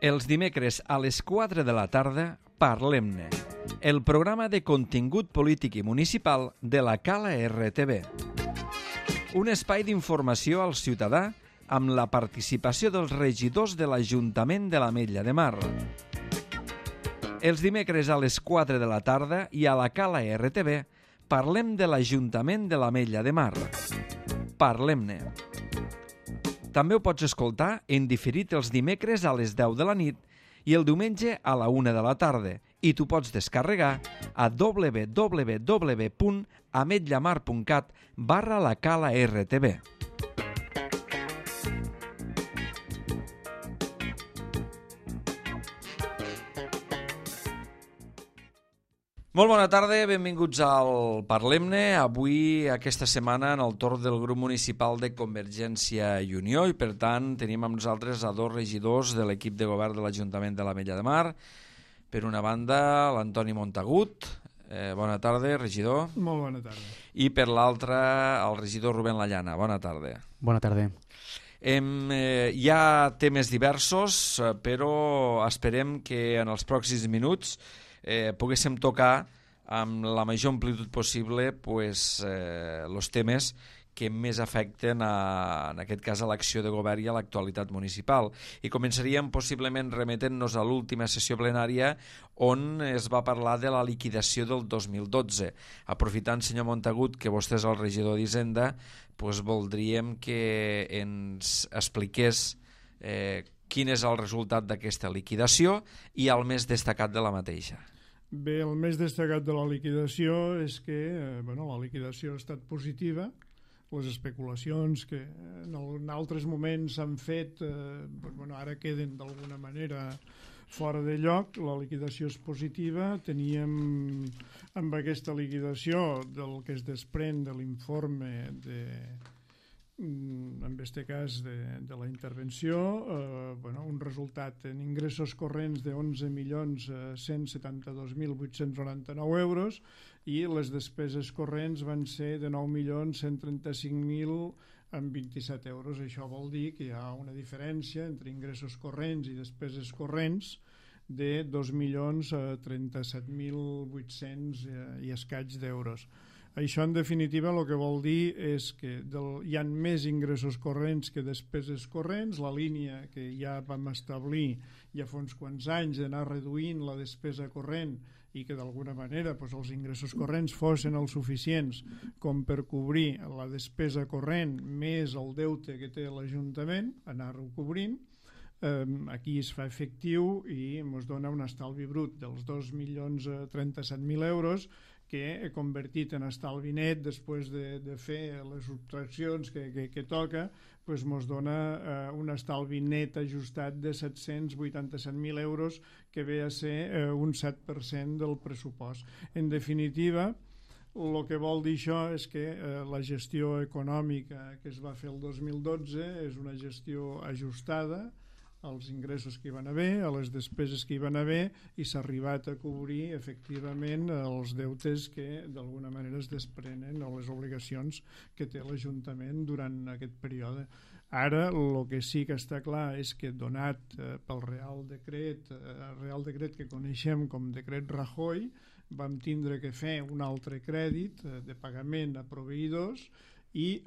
Els dimecres a les 4 de la tarda, Parlem-ne, el programa de contingut polític i municipal de la Cala RTV. Un espai d'informació al ciutadà amb la participació dels regidors de l'Ajuntament de l'Ametlla de Mar. Els dimecres a les 4 de la tarda i a la Cala RTV parlem de l'Ajuntament de l'Ametlla de Mar. Parlem-ne. També ho pots escoltar en diferit els dimecres a les 10 de la nit i el diumenge a la 1 de la tarda i t'ho pots descarregar a www.ametllamar.cat/la Cala RTV. Molt bona tarda, benvinguts al Parlem-ne. Avui, aquesta setmana, en el torn del grup municipal de Convergència i Unió i, per tant, tenim amb nosaltres a dos regidors de l'equip de govern de l'Ajuntament de l'Ametlla de Mar. Per una banda, l'Antoni Montagut. Bona tarda, regidor. Molt bona tarda. I per l'altra, el regidor Rubén Lallana. Bona tarda. Bona tarda. Hi ha temes diversos, però esperem que en els pròxims minuts poguéssim tocar amb la major amplitud possible els temes que més afecten en aquest cas a l'acció de govern i a l'actualitat municipal. I començaríem possiblement remetent-nos a l'última sessió plenària on es va parlar de la liquidació del 2012. Aprofitant, senyor Montagut, que vostè és el regidor d'Hisenda, voldríem que ens expliqués quin és el resultat d'aquesta liquidació i el més destacat de la mateixa. Bé, el més destacat de la liquidació és que la liquidació ha estat positiva. Les especulacions que en altres moments s'han fet ara queden d'alguna manera fora de lloc. La liquidació és positiva. Teníem amb aquesta liquidació del que es desprèn de l'informe en aquest cas de la intervenció, un resultat en ingressos corrents de 11.172.899 euros i les despeses corrents van ser de 9.135.027 euros. Això vol dir que hi ha una diferència entre ingressos corrents i despeses corrents de 2.037.800 i escaig d'euros. Això, en definitiva, el que vol dir és que hi ha més ingressos corrents que despeses corrents. La línia que ja vam establir ja fa uns quants anys d'anar reduint la despesa corrent i que d'alguna manera els ingressos corrents fossin els suficients com per cobrir la despesa corrent més el deute que té l'Ajuntament, anar-ho cobrint. Aquí es fa efectiu i ens dona un estalvi brut dels 2.037.000 euros que he convertit en estalvi net després de fer les subtraccions que toca, ens dona un estalvi net ajustat de 787.000 euros, que ve a ser un 7% del pressupost. En definitiva, el que vol dir això és que la gestió econòmica que es va fer el 2012 és una gestió ajustada als ingressos que hi van haver, a les despeses que hi van haver, i s'ha arribat a cobrir efectivament els deutes que d'alguna manera es desprenen o les obligacions que té l'Ajuntament durant aquest període. Ara el que sí que està clar és que donat pel Real Decret que coneixem com Decret Rajoy, vam tindre que fer un altre crèdit de pagament a proveïdors i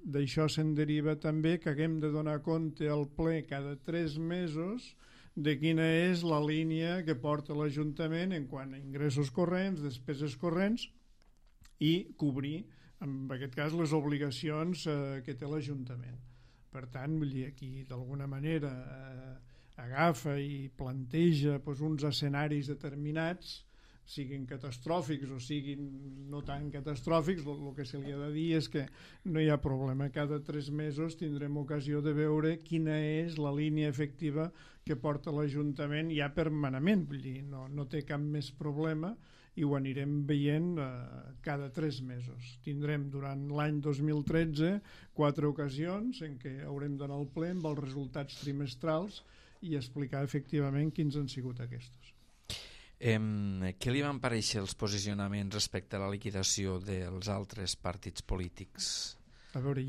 d'això se'n deriva també que haguem de donar compte al ple cada 3 mesos de quina és la línia que porta l'Ajuntament en quant a ingressos corrents, despeses corrents i cobrir, en aquest cas, les obligacions que té l'Ajuntament. Per tant, aquí d'alguna manera agafa i planteja uns escenaris determinats, siguin catastròfics o siguin no tan catastròfics. El que se li ha de dir és que no hi ha problema. Cada 3 mesos tindrem ocasió de veure quina és la línia efectiva que porta l'Ajuntament ja permanentment. Vull dir, no té cap més problema i ho anirem veient cada 3 mesos. Tindrem durant l'any 2013 4 ocasions en què haurem d'anar al ple amb els resultats trimestrals i explicar efectivament quins han sigut aquests. Què li van parèixer els posicionaments respecte a la liquidació dels altres partits polítics? A veure,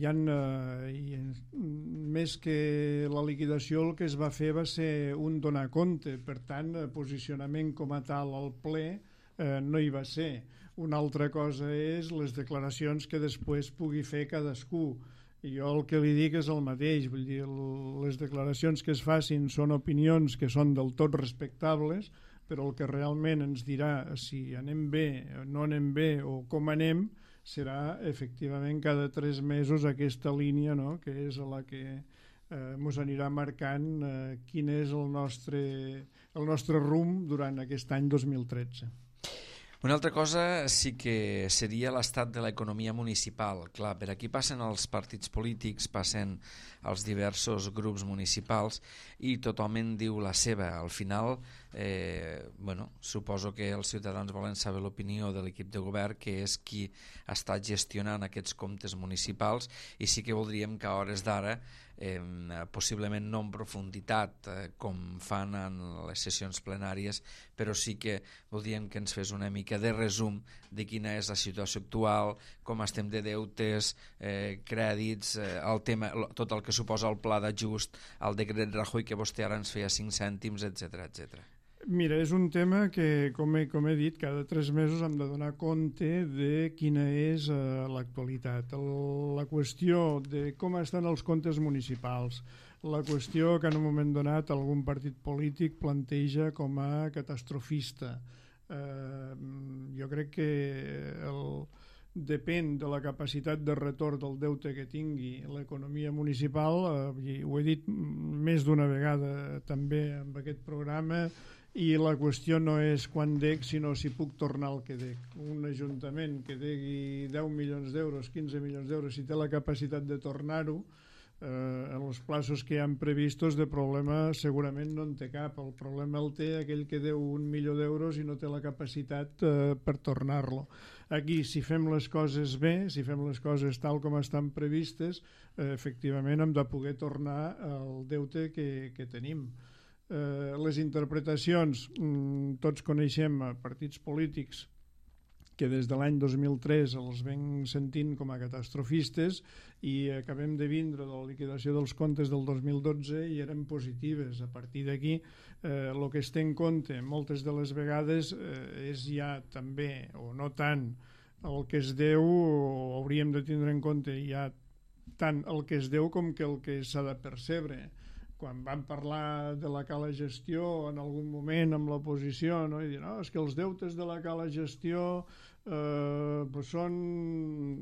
més que la liquidació, el que es va fer va ser un donar compte, per tant, posicionament com a tal al ple no hi va ser. Una altra cosa és les declaracions que després pugui fer cadascú. I jo el que li dic és el mateix, vull dir, les declaracions que es facin són opinions que són del tot respectables, però el que realment ens dirà si anem bé, no anem bé o com anem serà efectivament cada 3 mesos aquesta línia, no?, que és la que ens anirà marcant quin és el nostre rumb durant aquest any 2013. Una altra cosa sí que seria l'estat de l'economia municipal. Clar, per aquí passen els partits polítics, passen els diversos grups municipals i tothom en diu la seva. Al final, suposo que els ciutadans volen saber l'opinió de l'equip de govern, que és qui està gestionant aquests comptes municipals, i sí que voldríem que a hores d'ara, possiblement no en profunditat com fan en les sessions plenàries, però sí que voldríem que ens fes una mica de resum de quina és la situació actual, com estem de deutes, crèdits, el tema, tot el que suposa el pla d'ajust, el decret Rajoy que vostè ara ens feia 5 cèntims, etc etc. Mira, és un tema que, com he dit, cada 3 mesos hem de donar compte de quina és l'actualitat. La qüestió de com estan els comptes municipals, la qüestió que en un moment donat algun partit polític planteja com a catastrofista. Jo crec que depèn de la capacitat de retorn del deute que tingui l'economia municipal, ho he dit més d'una vegada també en aquest programa, i la qüestió no és quan dec, sinó si puc tornar el que dec. Un ajuntament que degui 10 milions d'euros, 15 milions d'euros, si té la capacitat de tornar-ho, en els plaços que hi han previstos, de problema segurament no en té cap. El problema el té aquell que deu 1 milió d'euros i no té la capacitat per tornar-lo. Aquí, si fem les coses bé, si fem les coses tal com estan previstes, efectivament hem de poder tornar el deute que tenim. Les interpretacions, tots coneixem partits polítics que des de l'any 2003 els ven sentint com a catastrofistes i acabem de vindre de la liquidació dels comptes del 2012 i eren positives. A partir d'aquí, el que es té en compte moltes de les vegades és ja també, o no tant, el que es deu, o hauríem de tindre en compte ja tant el que es deu com que el que s'ha de percebre. Quan vam parlar de la cala gestió en algun moment amb l'oposició, no? I dir, no, és que els deutes de la cala gestió són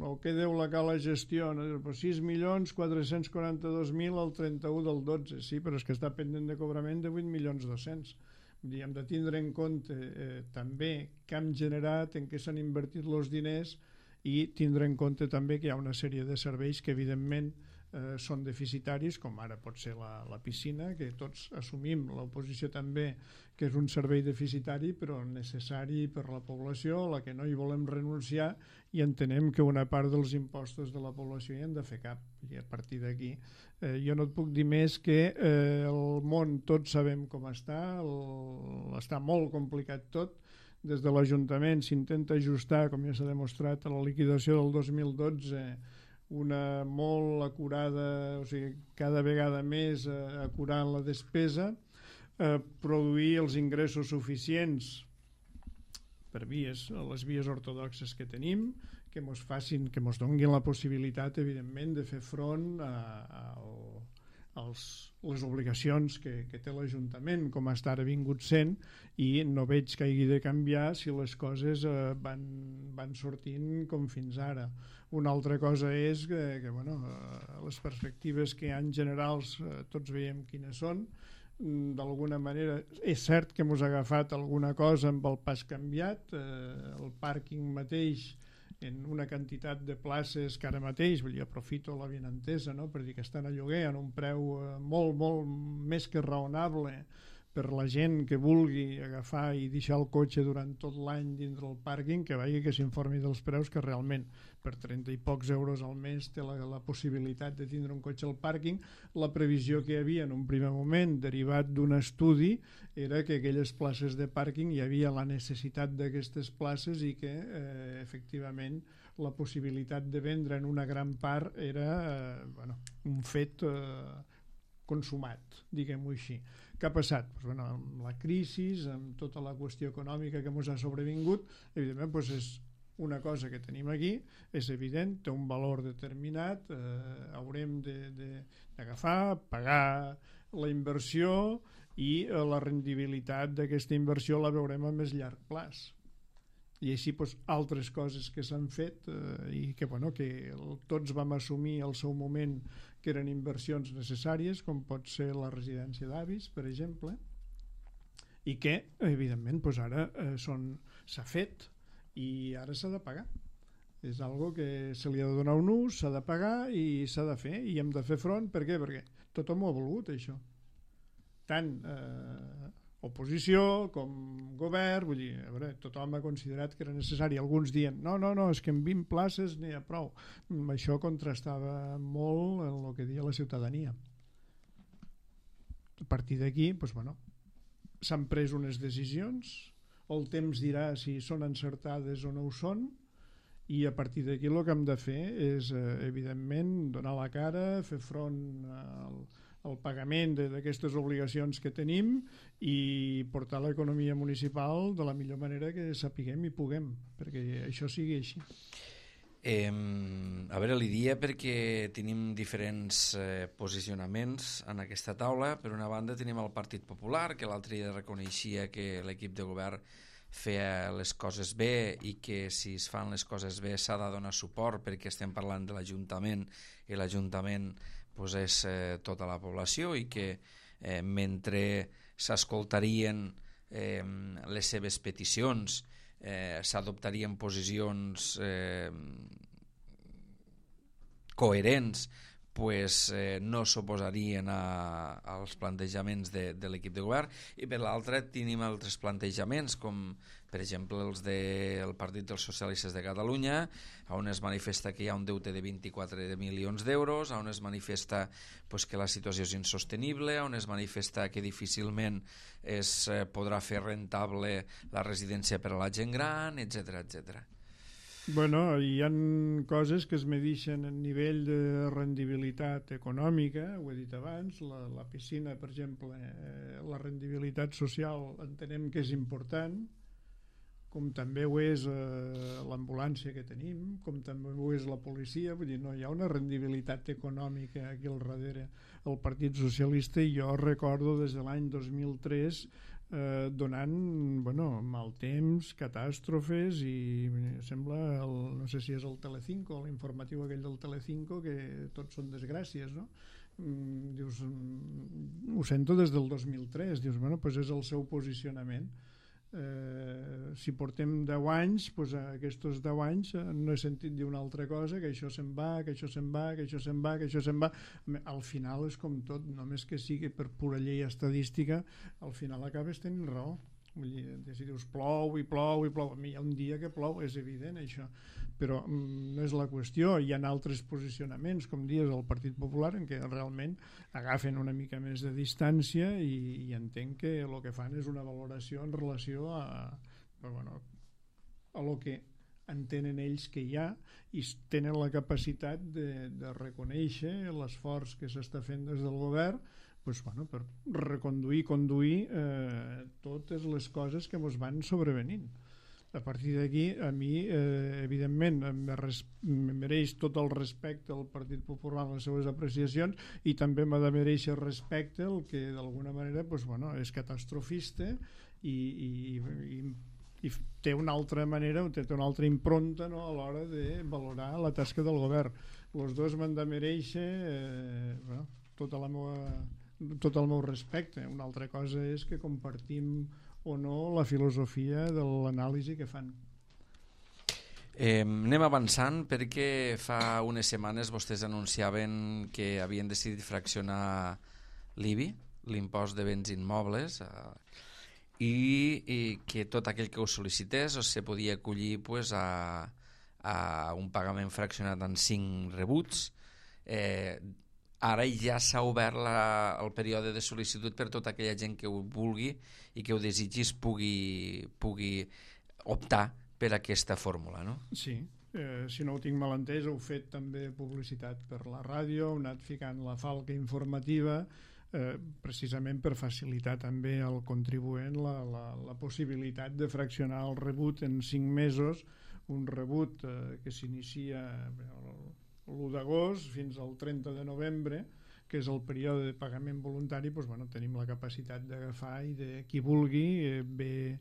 el que deu la cala gestió, no? 6.442.000 al 31 del 12, sí, però és que està pendent de cobrament de 8.200.000. Hem de tindre en compte també què hem generat, en què s'han invertit els diners, i tindre en compte també que hi ha una sèrie de serveis que evidentment són deficitaris, com ara pot ser la piscina, que tots assumim, l'oposició també, que és un servei deficitari però necessari per la població, a la que no hi volem renunciar, i entenem que una part dels impostos de la població hi han de fer cap. I a partir d'aquí jo no et puc dir més que el món tots sabem com està, està molt complicat tot. Des de l'Ajuntament s'intenta ajustar, com ja s'ha demostrat, a la liquidació del 2012, una molt acurada, o sigui, cada vegada més acurant la despesa, produir els ingressos suficients per les vies ortodoxes que tenim, que ens facin, que ens donguin la possibilitat, evidentment, de fer front a les obligacions que té l'Ajuntament, com està ara vingut sent, i no veig que hagi de canviar si les coses van sortint com fins ara. Una altra cosa és que les perspectives que hi ha en generals tots veiem quines són. D'alguna manera és cert que ens ha agafat alguna cosa amb el pas canviat, el pàrquing mateix en una quantitat de places que ara mateix, aprofito l'avinentesa, no?, per dir que estan a lloguer en un preu molt, molt més que raonable per la gent que vulgui agafar i deixar el cotxe durant tot l'any dintre el pàrquing, que vagi que s'informi dels preus, que realment per 30 i pocs euros al mes té la possibilitat de tindre un cotxe al pàrquing. La previsió que hi havia en un primer moment, derivat d'un estudi, era que aquelles places de pàrquing hi havia la necessitat d'aquestes places i que efectivament la possibilitat de vendre en una gran part era un fet consumat, diguem-ho així. Què ha passat? Amb la crisi, amb tota la qüestió econòmica que ens ha sobrevingut, evidentment és una cosa que tenim aquí, és evident, té un valor determinat, haurem d'agafar, pagar la inversió i la rendibilitat d'aquesta inversió la veurem a més llarg plaç. I així altres coses que s'han fet i que tots vam assumir al seu moment que eren inversions necessàries, com pot ser la residència d'avis, per exemple, i que evidentment ara s'ha fet i ara s'ha de pagar. És algo que se li ha de donar un ús, s'ha de pagar i s'ha de fer, i hem de fer front. Per què? Perquè tothom ho ha volgut, això. Tant oposició com govern, vull dir, tothom ha considerat que era necessari. Alguns diuen, no, és que en 20 places n'hi ha prou. Això contrastava molt amb el que deia la ciutadania. A partir d'aquí, s'han pres unes decisions, el temps dirà si són encertades o no ho són, i a partir d'aquí el que hem de fer és, evidentment, donar la cara, fer front al pagament d'aquestes obligacions que tenim i portar l'economia municipal de la millor manera que sapiguem i puguem, perquè això sigui així. A veure, li dia perquè tenim diferents posicionaments en aquesta taula. Per una banda tenim el Partit Popular, que l'altre dia reconeixia que l'equip de govern feia les coses bé i que si es fan les coses bé s'ha de donar suport, perquè estem parlant de l'Ajuntament i l'Ajuntament és tota la població, i que mentre s'escoltarien les seves peticions, s'adoptarien posicions coherents, no s'oposarien als plantejaments de l'equip de govern. I per l'altra tenim altres plantejaments, com per exemple els del Partit dels Socialistes de Catalunya, on es manifesta que hi ha un deute de 24 milions d'euros, on es manifesta que la situació és insostenible, on es manifesta que difícilment es podrà fer rentable la residència per a la gent gran, etc etc. Hi ha coses que es medeixen en nivell de rendibilitat econòmica, ho he dit abans, la piscina, per exemple, la rendibilitat social entenem que és important, com també ho és l'ambulància que tenim, com també ho és la policia. Vull dir, no hi ha una rendibilitat econòmica aquí al darrere. El Partit Socialista, i jo recordo des de l'any 2003 donant mal temps, catàstrofes, i sembla, no sé si és el Telecinco, l'informatiu aquell del Telecinco, que tots són desgràcies, no? Dius, ho sento des del 2003, dius, és el seu posicionament. Si portem 10 anys, aquests 10 anys no he sentit dir una altra cosa, que això se'n va, que això se'n va, que això se'n va, que això se'n va. Al final és com tot, només que sigui per pura llei estadística, al final acabes tenint raó. Vull dir, si dius plou i plou i plou, hi ha un dia que plou, és evident això, però no és la qüestió. Hi ha altres posicionaments, com dius, al Partit Popular, en què realment agafen una mica més de distància i entenc que el que fan és una valoració en relació a lo que entenen ells que hi ha, i tenen la capacitat de reconèixer l'esforç que s'està fent des del govern per reconduir, conduir totes les coses que ens van sobrevenint. A partir d'aquí, a mi, evidentment, em mereix tot el respecte al Partit Popular en les seves apreciacions, i també m'ha de mereixer respecte el que d'alguna manera és catastrofista i té una altra manera, té una altra impronta, no, a l'hora de valorar la tasca del govern. Els dos m'han de mereixer tot el meu respecte. Una altra cosa és que compartim o no la filosofia de l'anàlisi que fan. Anem avançant, perquè fa unes setmanes vostès anunciaven que havien decidit fraccionar l'IBI, l'impost de béns immobles, i que tot aquell que ho sol·licités se podia acollir a un pagament fraccionat en 5 rebuts. Ara ja s'ha obert el període de sol·licitud per tota aquella gent que ho vulgui i que ho desitgis pugui optar per aquesta fórmula, no? Sí, si no ho tinc mal entès, heu fet també publicitat per la ràdio, heu anat ficant la falca informativa, precisament per facilitar també al contribuent la possibilitat de fraccionar el rebut en 5 mesos, un rebut que s'inicia l'1 d'agost fins al 30 de novembre, que és el període de pagament voluntari. Doncs, bueno, tenim la capacitat d'agafar i de qui vulgui ve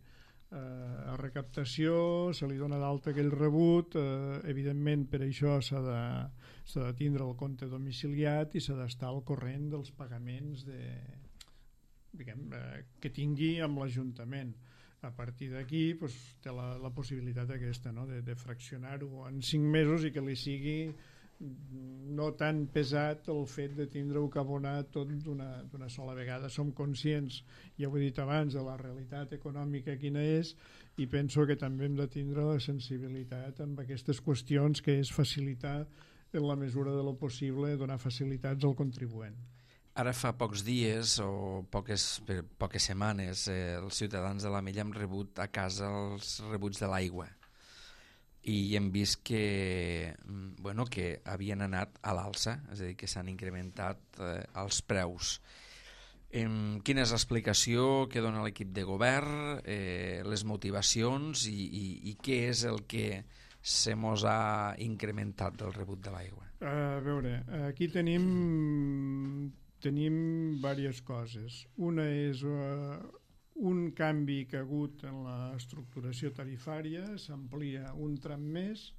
a recaptació, se li dona d'alta aquell rebut, evidentment per això s'ha de tindre el compte domiciliat i s'ha d'estar al corrent dels pagaments que tingui amb l'Ajuntament. A partir d'aquí doncs, té la possibilitat aquesta, no? de fraccionar-ho en 5 mesos i que li sigui no tan pesat el fet de tindre-ho que abonar tot d'una sola vegada. Som conscients, ja ho he dit abans, de la realitat econòmica quina és, i penso que també hem de tindre la sensibilitat amb aquestes qüestions, que és facilitar en la mesura de lo possible, donar facilitats al contribuent. Ara fa pocs dies o poques setmanes els ciutadans de l'Ametlla han rebut a casa els rebuts de l'aigua i hem vist que havien anat a l'alça, és a dir, que s'han incrementat els preus. Quina és l'explicació que dona l'equip de govern, les motivacions i què és el que se mos ha incrementat del rebut de l'aigua? A veure, aquí tenim diverses coses. Una és un canvi que ha hagut en l'estructuració tarifària, s'amplia un tram més.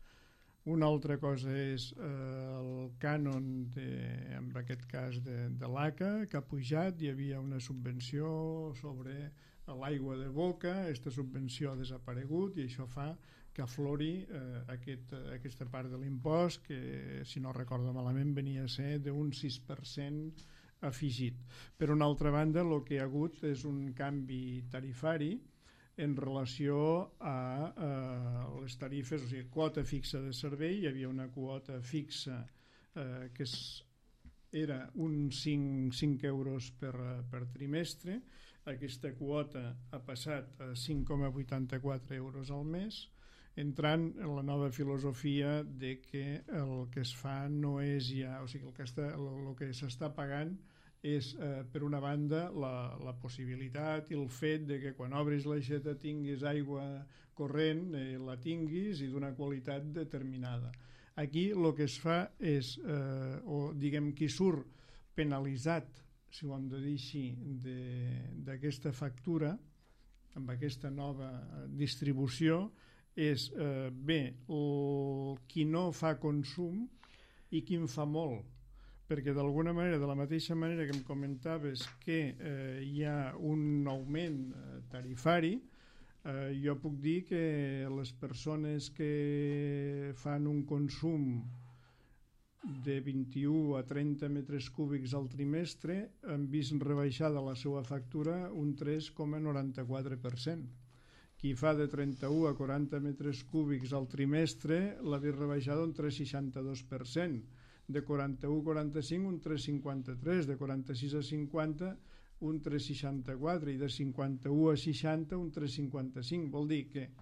Una altra cosa és el cànon, en aquest cas de l'ACA, que ha pujat. Hi havia una subvenció sobre l'aigua de boca, aquesta subvenció ha desaparegut i això fa que aflori aquesta part de l'impost, que si no recordo malament venia a ser d'un 6% afegit. Per una altra banda, el que hi ha hagut és un canvi tarifari en relació a les tarifes, o sigui, quota fixa de servei. Hi havia una quota fixa que era uns 5 euros per trimestre. Aquesta quota ha passat a 5,84 euros al mes, entrant en la nova filosofia de que el que es fa no és ja, o sigui, el que s'està pagant és, per una banda, la possibilitat i el fet de que quan obris l'aixeta tinguis aigua corrent, la tinguis i d'una qualitat determinada. Aquí el que es fa és, o diguem qui surt penalitzat, si ho hem de dir així, d'aquesta factura, amb aquesta nova distribució, és qui no fa consum i qui en fa molt, perquè d'alguna manera, de la mateixa manera que em comentaves que hi ha un augment tarifari, jo puc dir que les persones que fan un consum de 21 a 30 metres cúbics al trimestre han vist rebaixada la seva factura un 3,94%. Qui fa de 31 a 40 metres cúbics al trimestre l'ha vist rebaixada un 3,62%, de 41 a 45 un 3,53%, de 46 a 50 un 3,64% i de 51 a 60 un 3,55%. Vol dir que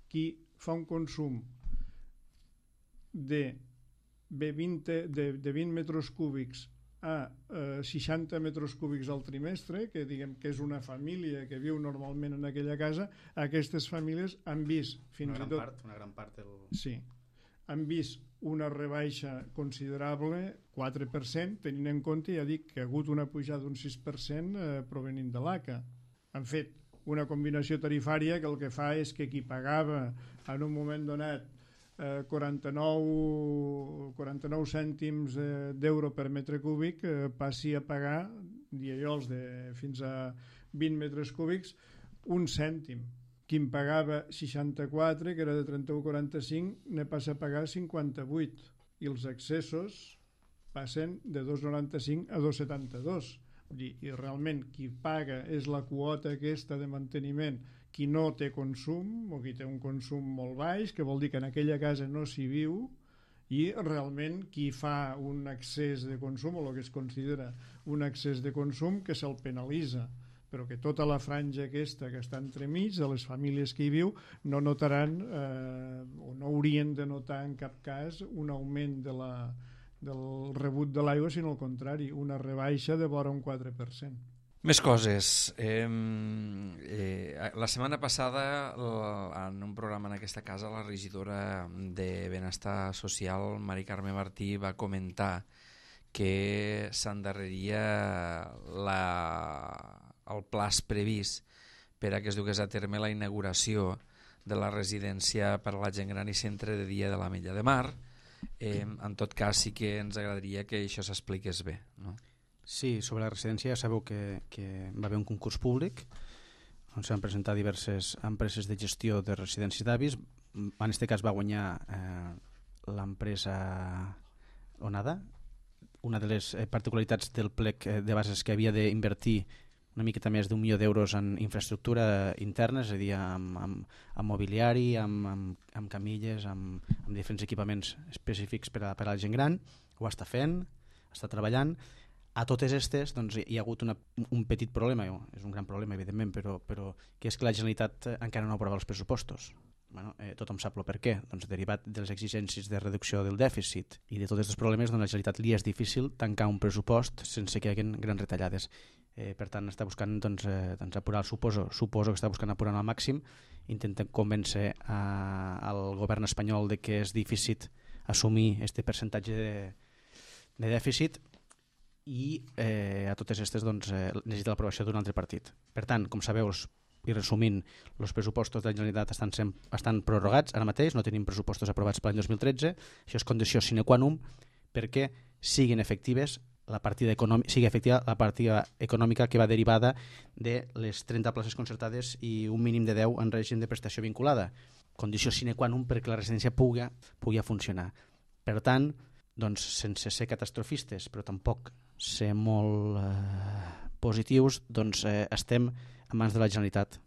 qui fa un consum de 20 metres cúbics a 60 metres cúbics al trimestre, que diguem que és una família que viu normalment en aquella casa, aquestes famílies han vist fins i tot... Una gran part Sí, han vist una rebaixa considerable, 4%, tenint en compte, ja dic, que ha hagut una pujada d'un 6% provenint de l'ACA. Han fet una combinació tarifària que el que fa és que qui pagava en un moment donat 49 cèntims d'euro per metre cúbic passi a pagar, diellols fins a 20 metres cúbics, un cèntim. Qui en pagava 64, que era de 31,45, ne passa a pagar 58. I els accessos passen de 2,95 a 2,72. I realment qui paga és la quota aquesta de manteniment, qui no té consum o qui té un consum molt baix, que vol dir que en aquella casa no s'hi viu, i realment qui fa un excés de consum o el que es considera un excés de consum, que se'l penalitza però que tota la franja aquesta que està entremig de les famílies que hi viu no notaran o no haurien de notar en cap cas un augment del rebut de l'aigua, sinó al contrari, una rebaixa de vora un 4%. Més coses. La setmana passada, en un programa en aquesta casa, la regidora de Benestar Social, Mari Carme Martí, va comentar que s'endarreria el plaç previst per a que es dugués a terme la inauguració de la residència per a la gent gran i centre de dia de l'Ametlla de Mar. En tot cas, sí que ens agradaria que això s'expliqués bé, no? Sí, sobre la residència ja sabeu que va haver un concurs públic on s'han presentat diverses empreses de gestió de residències d'avis. En aquest cas va guanyar l'empresa Onada. Una de les particularitats del plec de bases és que havia d'invertir una miqueta més d'1 milió d'euros en infraestructura interna, és a dir, amb mobiliari, amb camilles, amb diferents equipaments específics per a la gent gran. Ho està fent, està treballant. A totes aquestes doncs, hi ha hagut un petit problema, és un gran problema evidentment, però que és que la Generalitat encara no aprova els pressupostos. Bueno, tothom sap el per què. Doncs, derivat de les exigències de reducció del dèficit i de tots aquests problemes, doncs, la Generalitat li és difícil tancar un pressupost sense que hi hagi grans retallades. Per tant, està buscant apurar, suposo que està buscant apurar al màxim, intenten convèncer al govern espanyol de que és difícil assumir aquest percentatge de dèficit, i a totes aquestes necessita l'aprovació d'un altre partit. Per tant, com sabeu, i resumint, els pressupostos de la Generalitat estan prorrogats ara mateix, no tenim pressupostos aprovats per l'any 2013, això és condició sine qua non perquè siguin efectives sigui efectiva la partida econòmica que va derivada de les 30 places concertades i un mínim de 10 en règim de prestació vinculada. Condició sine qua non perquè la residència pugui funcionar. Per tant, doncs, sense ser catastrofistes, però tampoc ser molt positius, doncs estem en mans de la Generalitat,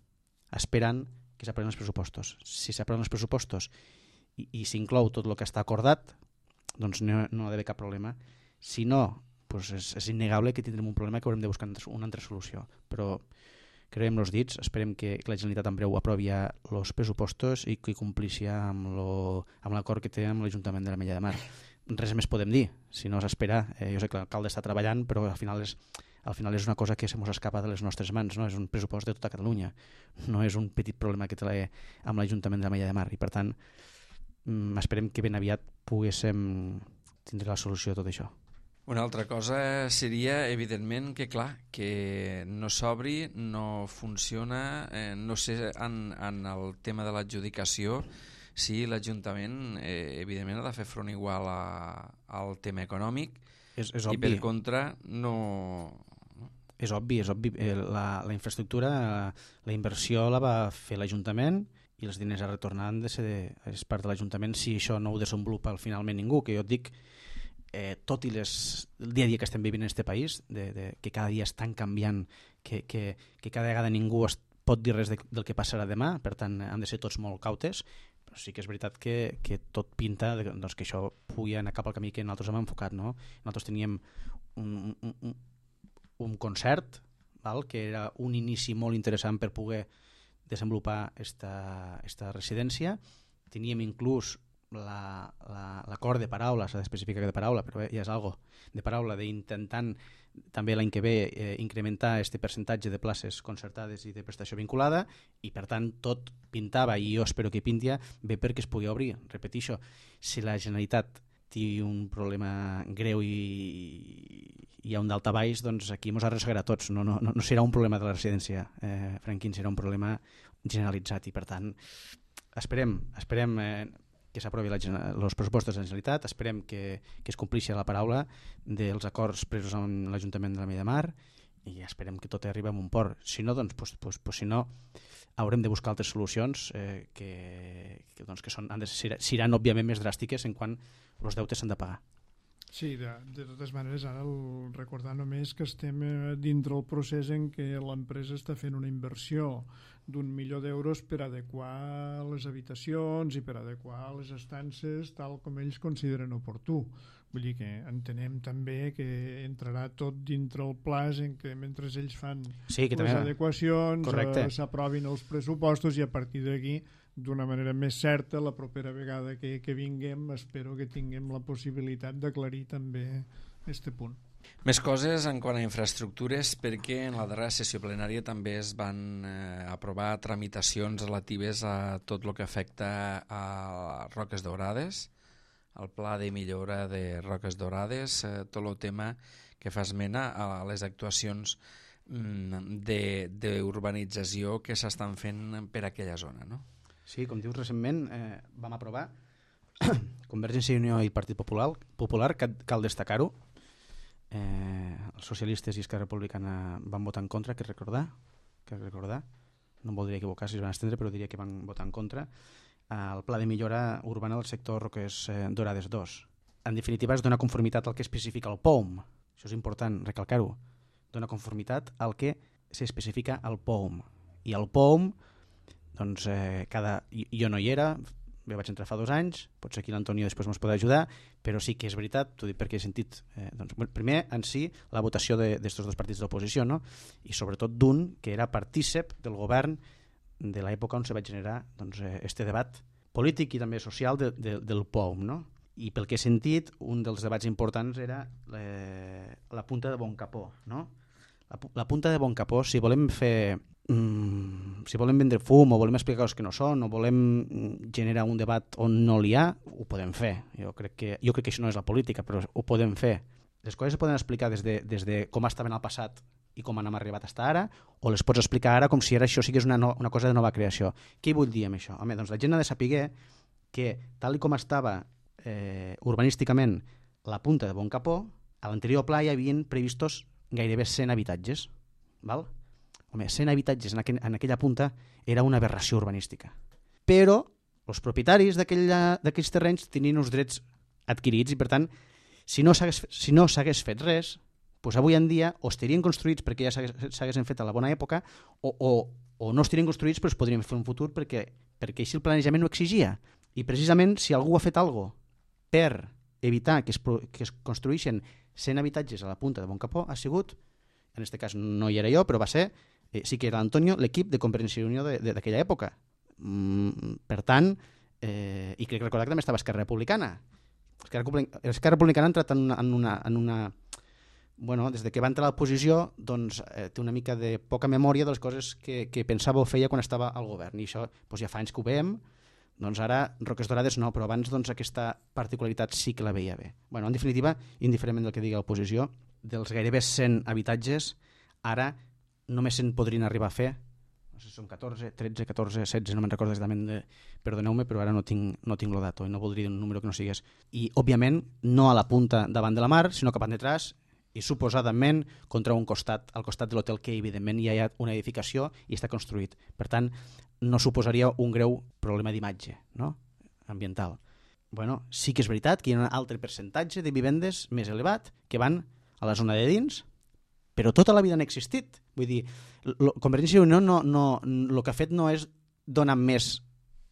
esperant que s'aprovin els pressupostos. Si s'aproven els pressupostos i s'inclou tot el que està acordat, doncs no ha d'haver cap problema. Si no, doncs és innegable que tindrem un problema que haurem de buscar una altra solució. Però creiem els dits, esperem que la Generalitat en breu aprovi els pressupostos i que complixi amb l'acord que té amb l'Ajuntament de l'Ametlla de Mar. Res més podem dir, si no s'espera. Jo sé que l'alcalde està treballant, però al final és una cosa que se mos escapa de les nostres mans, no? És un pressupost de tota Catalunya, no és un petit problema que té amb l'Ajuntament de l'Ametlla de Mar, i per tant esperem que ben aviat poguéssim tindre la solució de tot això. Una altra cosa seria, evidentment, que clar, que no s'obri, no funciona, no sé, en el tema de l'adjudicació, si l'Ajuntament evidentment ha de fer front igual al tema econòmic, és i obvi. per contra no... És obvi. La infraestructura, la inversió la va fer l'Ajuntament i els diners a retornar és part de l'Ajuntament si això no ho desenvolupa finalment ningú, que jo et dic, tot i el dia a dia que estem vivint en aquest país, que cada dia estan canviant, que cada vegada ningú pot dir res del que passarà demà, per tant han de ser tots molt cautes, però sí que és veritat que tot pinta doncs, que això pugui anar cap al camí que nosaltres hem enfocat, no? Nosaltres teníem un concert, que era un inici molt interessant per poder desenvolupar esta residència. Teníem inclús l'acord de paraula, s'ha d'especificar que de paraula, però ja és algo de paraula, d'intentant també l'any que ve incrementar aquest percentatge de places concertades i de prestació vinculada, i per tant tot pintava, i jo espero que pinti bé perquè es pugui obrir. Repeteixo, si la Generalitat té un problema greu i hi ha un daltabaix, doncs aquí ens arrossegarà tots, no serà un problema de la residència, Franquín, serà un problema generalitzat, i per tant esperem que s'aprovi els pressupostos de la Generalitat, esperem que es complixi la paraula dels acords presos amb l'Ajuntament de l'Ametlla de Mar, i esperem que tot arribi a un port. Si no, doncs, si no, haurem de buscar altres solucions que seran òbviament més dràstiques en quan els deutes s'han de pagar. Sí, de totes maneres, ara recordar només que estem dintre el procés en què l'empresa està fent una inversió d'1.000.000 d'euros per adequar les habitacions i per adequar les estances tal com ells consideren oportú. Vull dir que entenem també que entrarà tot dintre el plaç en què mentre ells fan les adequacions s'aprovin els pressupostos i a partir d'aquí d'una manera més certa, la propera vegada que vinguem, espero que tinguem la possibilitat d'aclarir també aquest punt. Més coses en quant a infraestructures, perquè en la darrera sessió plenària també es van aprovar tramitacions relatives a tot el que afecta a Roques Daurades, el pla de millora de Roques Daurades, tot el tema que fa esmena a les actuacions d'urbanització que s'estan fent per aquella zona, no? Sí, com dius, recentment vam aprovar Convergència i Unió i Partit Popular, cal destacar-ho. Els socialistes i Esquerra Republicana van votar en contra, que recordar. No em voldria equivocar si es van estendre, però diria que van votar en contra. El pla de millora urbana del sector Roques Daurades 2. En definitiva, es dona conformitat al que especifica el POUM. Això és important recalcar-ho. Dona conformitat al que s'especifica al POUM. I el POUM, doncs, jo no hi era, jo vaig entrar fa 2 anys, potser aquí l'Antonio després ens podrà ajudar, però sí que és veritat, t'ho dic perquè he sentit primer en si la votació d'estos dos partits d'oposició, no? I sobretot d'un que era partícip del govern de l'època on se va generar este debat polític i també social del POUM, no? I pel que he sentit, un dels debats importants era la punta de Bon Capó, no? La punta de Bon Capó, si volem fer si volem vendre fum o volem explicar coses que no són o volem generar un debat on no n'hi ha, ho podem fer. Jo crec que això no és la política, però ho podem fer. Les coses es poden explicar des de com estaven al passat i com han arribat fins ara, o les pots explicar ara com si ara això sigués una cosa de nova creació. Què vull dir amb això? Home, doncs la gent ha de saber que, tal com estava urbanísticament la punta de Bon Capó, a l'anterior pla hi havien previstos gairebé 100 habitatges, val? Home, 100 habitatges en aquella punta era una aberració urbanística. Però els propietaris d'aquells terrenys tenien uns drets adquirits i, per tant, si no s'hagués fet res, doncs avui en dia o estarien construïts perquè ja s'haguessin fet a la bona època o no estarien construïts però es podrien fer un futur perquè així el planejament ho exigia. I precisament si algú ha fet alguna cosa per evitar que es construïssin 100 habitatges a la punta de Bon Capó ha sigut, en aquest cas no hi era jo, però va ser sí que era l'Antonio, l'equip de Convergència i Unió d'aquella època. Per tant, i crec recordar que també estava Esquerra Republicana. Esquerra Republicana ha entrat en una... Bueno, des que va entrar a l'oposició, doncs, té una mica de poca memòria de les coses que pensava o feia quan estava al govern. I això ja fa anys que ho veiem. Doncs ara, Roques Daurades no, però abans aquesta particularitat sí que la veia bé. Bueno, en definitiva, indiferentment del que digui l'oposició, dels gairebé 100 habitatges, ara només se'n podrien arribar a fer, no sé si són 14, 13, 14, 16, no me'n recordo exactament, perdoneu-me, però ara no tinc el dato i no voldria dir un número que no sigués. I, òbviament, no a la punta davant de la mar, sinó cap detrás i suposadament contra un costat, al costat de l'hotel que evidentment hi ha una edificació i està construït. Per tant, no suposaria un greu problema d'imatge, no? Ambiental. Bueno, sí que és veritat que hi ha un altre percentatge de vivendes més elevat que van a la zona de dins, però tota la vida han existit. Vull dir, Convergència i Unió el que ha fet no és donar més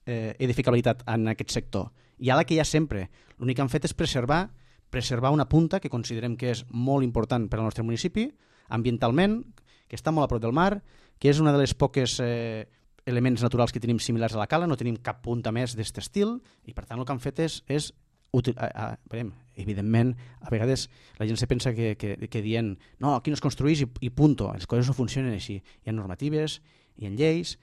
edificabilitat en aquest sector. Hi ha la que hi ha sempre. L'únic que han fet és preservar una punta que considerem que és molt important per al nostre municipi, ambientalment, que està molt a prop del mar, que és una de les poques elements naturals que tenim similars a la cala, no tenim cap punta més d'aquest estil, i per tant el que han fet és evidentment, a vegades la gent se pensa que dient no, aquí no es construeix i punto. Les coses no funcionen així. Hi ha normatives, hi ha lleis,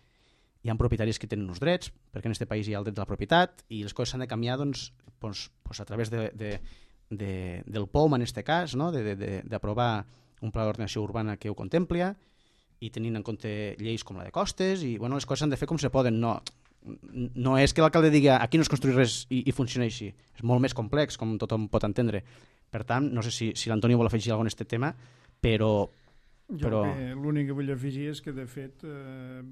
hi ha propietaris que tenen uns drets, perquè en aquest país hi ha el dret de la propietat, i les coses s'han de canviar doncs, a través del POUM, en aquest cas, no? D'aprovar un pla d'ordenació urbana que ho contempla i tenint en compte lleis com la de costes, i les coses s'han de fer com se poden. No és que l'alcalde digui aquí no es construeix res i funciona així. És molt més complex, com tothom pot entendre. Per tant, no sé si l'Antonio vol afegir alguna cosa en aquest tema, però L'únic que vull afegir és que de fet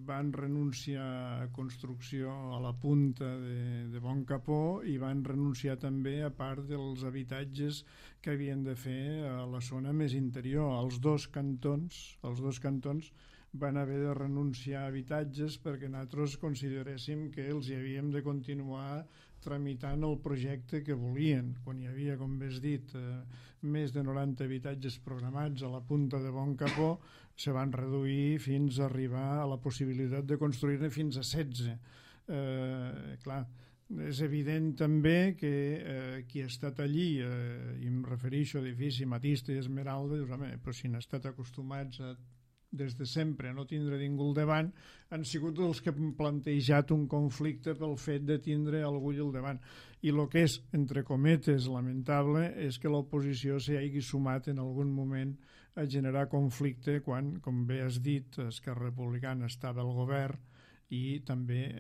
van renunciar a construcció a la punta de Bon Capó i van renunciar també a part dels habitatges que havien de fer a la zona més interior. Els dos cantons van haver de renunciar a habitatges perquè nosaltres consideréssim que els hi havíem de continuar tramitant el projecte que volien. Quan hi havia, com bé has dit, més de 90 habitatges programats a la punta de Bon Capó, se van reduir fins a arribar a la possibilitat de construir-ne fins a 16. Clar, és evident també que qui ha estat allí, i em refereixo a edifici Matista i Esmeralda, dius, home, però si han estat acostumats des de sempre a no tindre ningú al davant, han sigut els que han plantejat un conflicte pel fet de tindre algú al davant. I el que és, entre cometes, lamentable és que l'oposició s'hi hagi sumat en algun moment a generar conflicte quan, com bé has dit, Esquerra Republicana estava al govern i també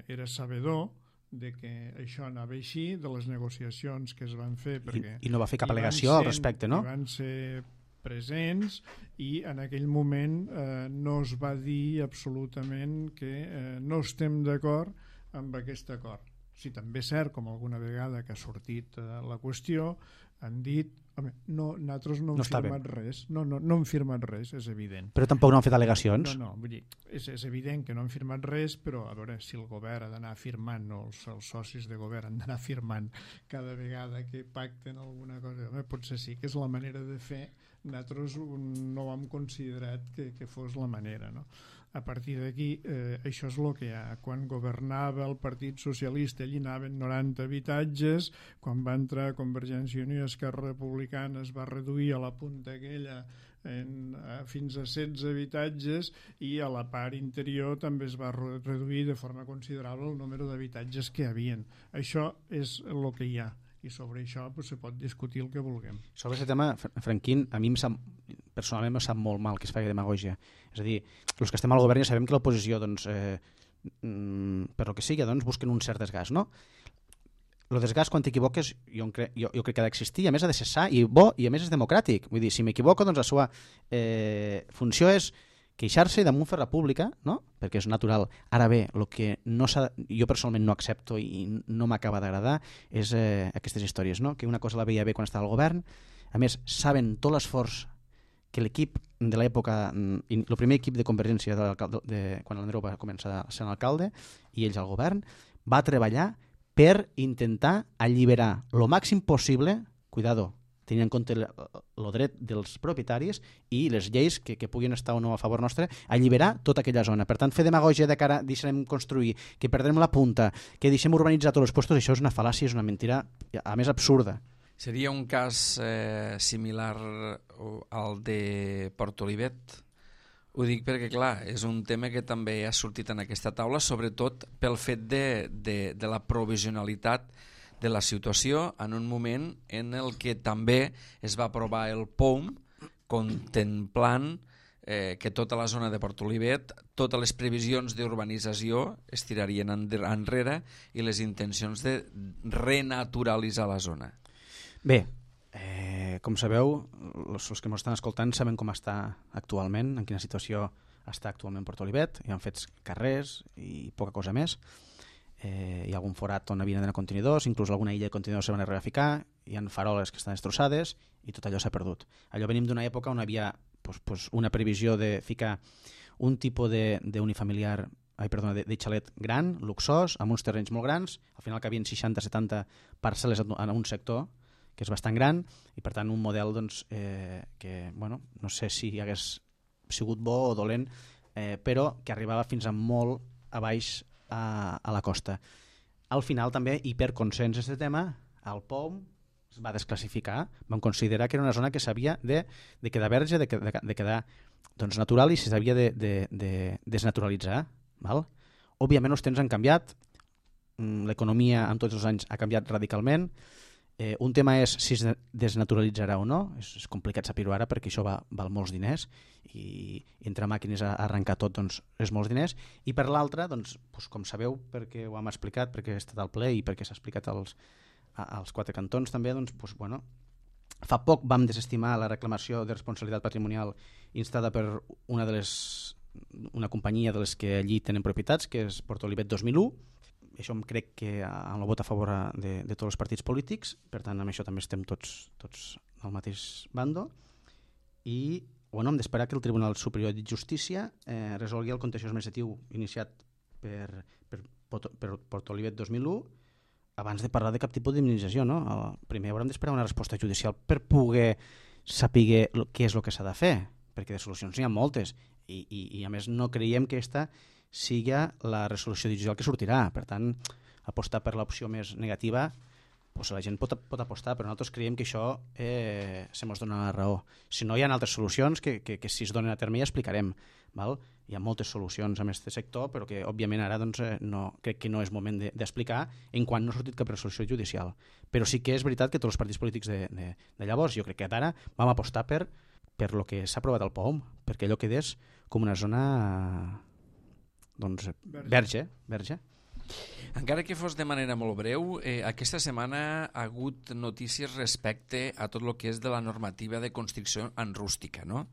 era sabedor de que això anava així, de les negociacions que es van fer. I no va fer cap al·legació al respecte, no? I van ser presents i en aquell moment no es va dir absolutament que no estem d'acord amb aquest acord. Sí, també és cert, com alguna vegada que ha sortit la qüestió, han dit, home, nosaltres no hem firmat res. No hem firmat res, és evident. Però tampoc no han fet al·legacions? No, vull dir, és evident que no han firmat res, però a veure, si el govern ha d'anar firmant, o els socis de govern han d'anar firmant cada vegada que pacten alguna cosa, home, potser sí que és la manera de fer. Nosaltres no ho hem considerat que fos la manera, no? A partir d'aquí, això és el que hi ha. Quan governava el Partit Socialista, allí anaven 90 habitatges, quan va entrar Convergència i Unió i Esquerra Republicana es va reduir a la punta aquella fins a 16 habitatges i a la part interior també es va reduir de forma considerable el número d'habitatges que hi havia. Això és el que hi ha. I sobre això se pot discutir el que vulguem. Sobre aquest tema, Franquín, a mi personalment em sap molt mal que es faci demagogia. És a dir, els que estem al govern ja sabem que l'oposició, per lo que sigui, busquen un cert desgast, no? El desgast, quan t'equivoques, jo crec que ha d'existir, a més ha de ser sa i bo, i a més és democràtic. Vull dir, si m'equivoco, la seva funció és queixar-se i damunt fer la pública, no? Perquè és natural. Ara bé, el que jo personalment no accepto i no m'acaba d'agradar és aquestes històries, no? Que una cosa la veia bé quan estava al govern, a més saben tot l'esforç que l'equip de l'època, el primer equip de Convergència quan l'Andreu va començar a ser alcalde i ells al govern, va treballar per intentar alliberar el màxim possible, cuidado, tenint en compte el dret dels propietaris i les lleis que puguin estar o no a favor nostre, alliberar tota aquella zona. Per tant, fer demagògia de cara deixarem construir, que perdrem la punta, que deixem urbanitzar tots els puestos, això és una fal·làcia, és una mentira, a més absurda. Seria un cas similar al de Portolivet? Ho dic perquè, clar, és un tema que també ha sortit en aquesta taula, sobretot pel fet de la provisionalitat de la situació en un moment en el que també es va aprovar el POUM contemplant que tota la zona de Portolivet, totes les previsions d'urbanització es tirarien enrere i les intencions de renaturalitzar la zona. Bé, com sabeu, els que ens estan escoltant saben com està actualment, en quina situació està actualment Portolivet. Hi han fets carrers i poca cosa més. Hi ha algun forat on havien d'anar contenidors, inclús alguna illa de contenidors se van arribar a ficar, hi ha faroles que estan destrossades i tot allò s'ha perdut. Allò venim d'una època on hi havia una previsió de ficar un tipus d'unifamiliar, de xalet gran, luxós, amb uns terrenys molt grans, al final que havien 60-70 parcel·les en un sector que és bastant gran i per tant un model que no sé si hagués sigut bo o dolent, però que arribava fins a molt a baix a la costa. Al final també, i per consens d'aquest tema, el POUM es va desclassificar, van considerar que era una zona que s'havia de quedar verge, de quedar natural i s'havia de desnaturalitzar. Val? Òbviament els temps han canviat, l'economia en tots els anys ha canviat radicalment. Un tema és si es desnaturalitzarà o no, és complicat saber-ho ara perquè això val molts diners i entre màquines a arrencar tot és molts diners, i per l'altra, com sabeu, perquè ho hem explicat, perquè he estat al ple i perquè s'ha explicat als quatre cantons també, Fa poc vam desestimar la reclamació de responsabilitat patrimonial instada per una companyia de les que allí tenen propietats, que és Portolivet 2001. Això crec que amb el vot a favor de tots els partits polítics, per tant amb això també estem tots al mateix bando, i hem d'esperar que el Tribunal Superior de Justícia resolgui el contenciós administratiu iniciat per Portolivet 2001 abans de parlar de cap tipus d'indemnització, no? Primer haurem d'esperar una resposta judicial per poder saber què és el que s'ha de fer, perquè de solucions n'hi ha moltes i a més no creiem que aquesta sigui la resolució judicial que sortirà. Per tant, apostar per l'opció més negativa, doncs la gent pot apostar, però nosaltres creiem que això se mos dona la raó. Si no, hi ha altres solucions que si es donen a terme ja explicarem. Val? Hi ha moltes solucions en aquest sector, però que òbviament ara crec que no és moment d'explicar en quan no ha sortit cap resolució judicial. Però sí que és veritat que tots els partits polítics de llavors, jo crec que d'ara, vam apostar per el que s'ha aprovat al POUM, perquè allò quedés com una zona verge. Encara que fos de manera molt breu, aquesta setmana ha hagut notícies respecte a tot el que és de la normativa de construcció en rústica, no?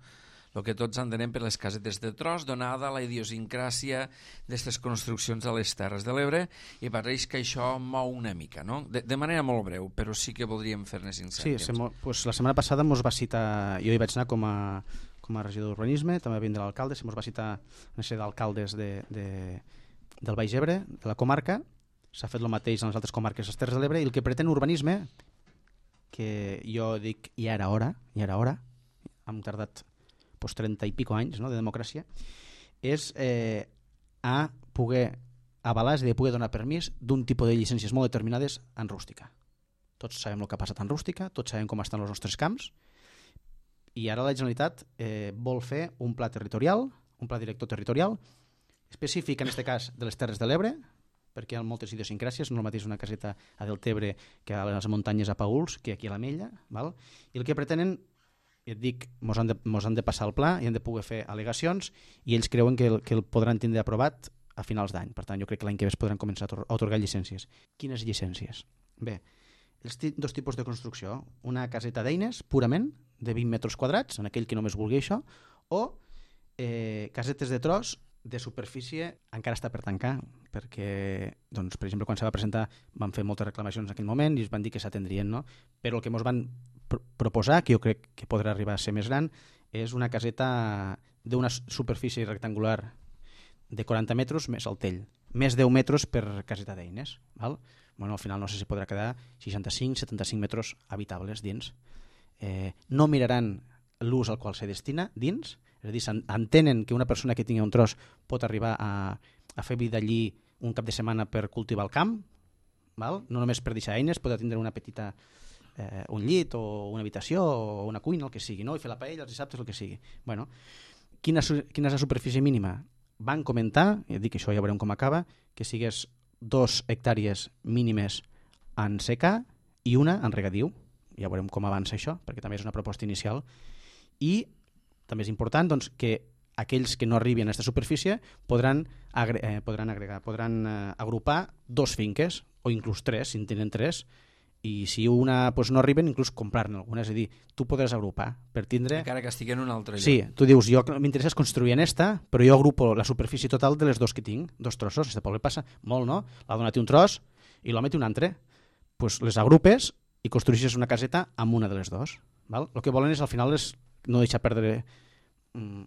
El que tots entenem per les casetes de tros, donada la idiosincràsia d'aquestes construccions a les Terres de l'Ebre, i pareix que això mou una mica, no? De manera molt breu, però sí que voldríem fer-ne 5 cèntims. Sí, pues la setmana passada mos va citar, jo hi vaig anar com a regidor d'urbanisme, també va vindre l'alcalde, se mos va citar una sèrie d'alcaldes del Baix Ebre, de la comarca, s'ha fet el mateix en les altres comarques de les Terres de l'Ebre, i el que pretén urbanisme, que jo dic ja era hora, hem tardat 30 i pico anys, no, de democràcia, és a poder avalar, és a dir, poder donar permís d'un tipus de llicències molt determinades en rústica. Tots sabem el que ha passat en rústica, tots sabem com estan els nostres camps, i ara la Generalitat vol fer un pla territorial, un pla director territorial, específic en aquest cas de les Terres de l'Ebre, perquè hi ha moltes idiosincràcies, no és el mateix una caseta a Deltebre que a les muntanyes a Paüls, que aquí a l'Ametlla, val? I el que pretenen, et dic, mos han de passar el pla i han de poder fer al·legacions, i ells creuen que el podran tindre aprovat a finals d'any. Per tant, jo crec que l'any que ve es podran començar a atorgar llicències. Quines llicències? Bé, els dos tipus de construcció, una caseta d'eines purament de 20 metres quadrats, en aquell que només vulgui això, o casetes de tros de superfície encara està per tancar, perquè, doncs, per exemple, quan se va presentar van fer moltes reclamacions en aquell moment i es van dir que s'atendrien, no? Però el que ens van proposar, que jo crec que podrà arribar a ser més gran, és una caseta d'una superfície rectangular de 40 metres més el tell, més 10 metres per caseta d'eines. Val? Bueno, al final no sé si podrà quedar 65-75 metres habitables dins. No miraran l'ús al qual se destina dins, és a dir, entenen que una persona que tingui un tros pot arribar a fer vida allí un cap de setmana per cultivar el camp, val? No només per deixar eines, pot tindre una petita un llit o una habitació o una cuina, el que sigui, no? I fer la paella els dissabtes, el que sigui. Bueno, quina és la superfície mínima? Van comentar, i dic que això ja veurem com acaba, que sigués 2 hectàrees mínimes en secà i una en regadiu. Ja veurem com avança això, perquè també és una proposta inicial. I també és important, doncs, que aquells que no arribin a aquesta superfície podran agrupar 2 finques, o inclús 3, si en tenen 3, i si una no arriben, inclús comprar-ne alguna. És a dir, tu podràs agrupar per tindre... Encara que estigui en un altre lloc. Sí, tu dius, jo m'interessa construir en esta, però jo agrupo la superfície total de les 2 que tinc, 2 trossos. Este poble passa molt, no? L'ha donat un tros i l'home té un altre. Pues les agrupes i construeixes una caseta amb una de les 2. Val? El que volen és, al final, no deixar perdre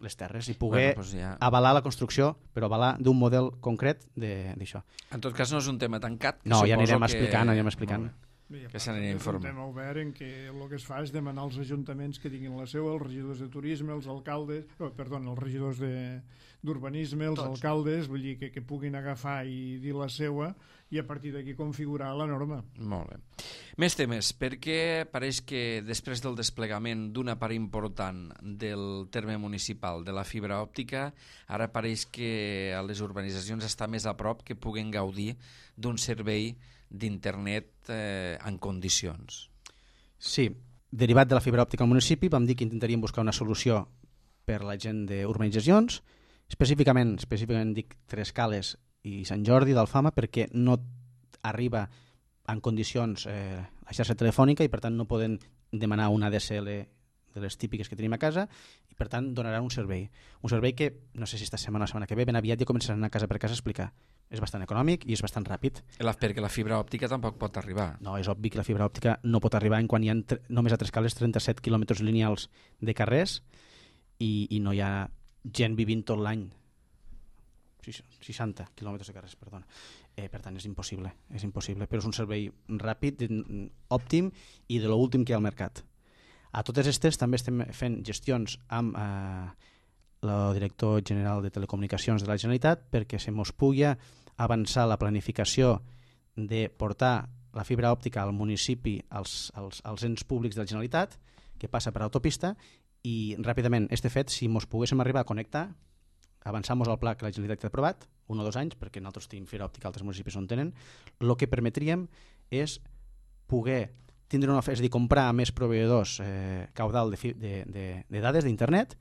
les terres i poder avalar la construcció, però avalar d'un model concret d'això. En tot cas, no és un tema tancat. No, ja anirem explicant. Que s'anirà informant. És un tema obert en què el que es fa és demanar als ajuntaments que tinguin la seva, els regidors de turisme, els alcaldes, els regidors d'urbanisme, els alcaldes, vull dir que puguin agafar i dir la seva i a partir d'aquí configurar la norma. Molt bé. Més temes, perquè pareix que després del desplegament d'una part important del terme municipal de la fibra òptica, ara pareix que a les urbanitzacions està més a prop que puguen gaudir d'un servei d'internet en condicions. Sí, derivat de la fibra òptica al municipi vam dir que intentaríem buscar una solució per la gent d'urbanitzacions, específicament dic Trescales i Sant Jordi d'Alfama, perquè no arriba en condicions la xarxa telefònica i per tant no poden demanar una DSL de les típiques que tenim a casa i per tant donarà un servei que no sé si esta setmana o la setmana que ve ben aviat ja començaran a casa per casa a explicar. És bastant econòmic i és bastant ràpid. Perquè la fibra òptica tampoc pot arribar. No, és obvi que la fibra òptica no pot arribar en quan hi ha només a Trescales 37 quilòmetres lineals de carrers i no hi ha gent vivint tot l'any. 60 quilòmetres de carrers, perdona. Per tant, és impossible, però és un servei ràpid, òptim i de l'últim que hi ha al mercat. A totes aquestes també estem fent gestions amb el director general de Telecomunicacions de la Generalitat perquè se mos pugui avançar la planificació de portar la fibra òptica al municipi, als ens públics de la Generalitat, que passa per autopista, i ràpidament, este fet, si mos poguéssim arribar a connectar, avançar-nos al pla que la Generalitat ha aprovat, 1 o 2 anys, perquè nosaltres tenim fibra òptica, altres municipis no en tenen, el que permetríem és poder tindre una oferta, és a dir, comprar a més proveïdors caudal de dades d'internet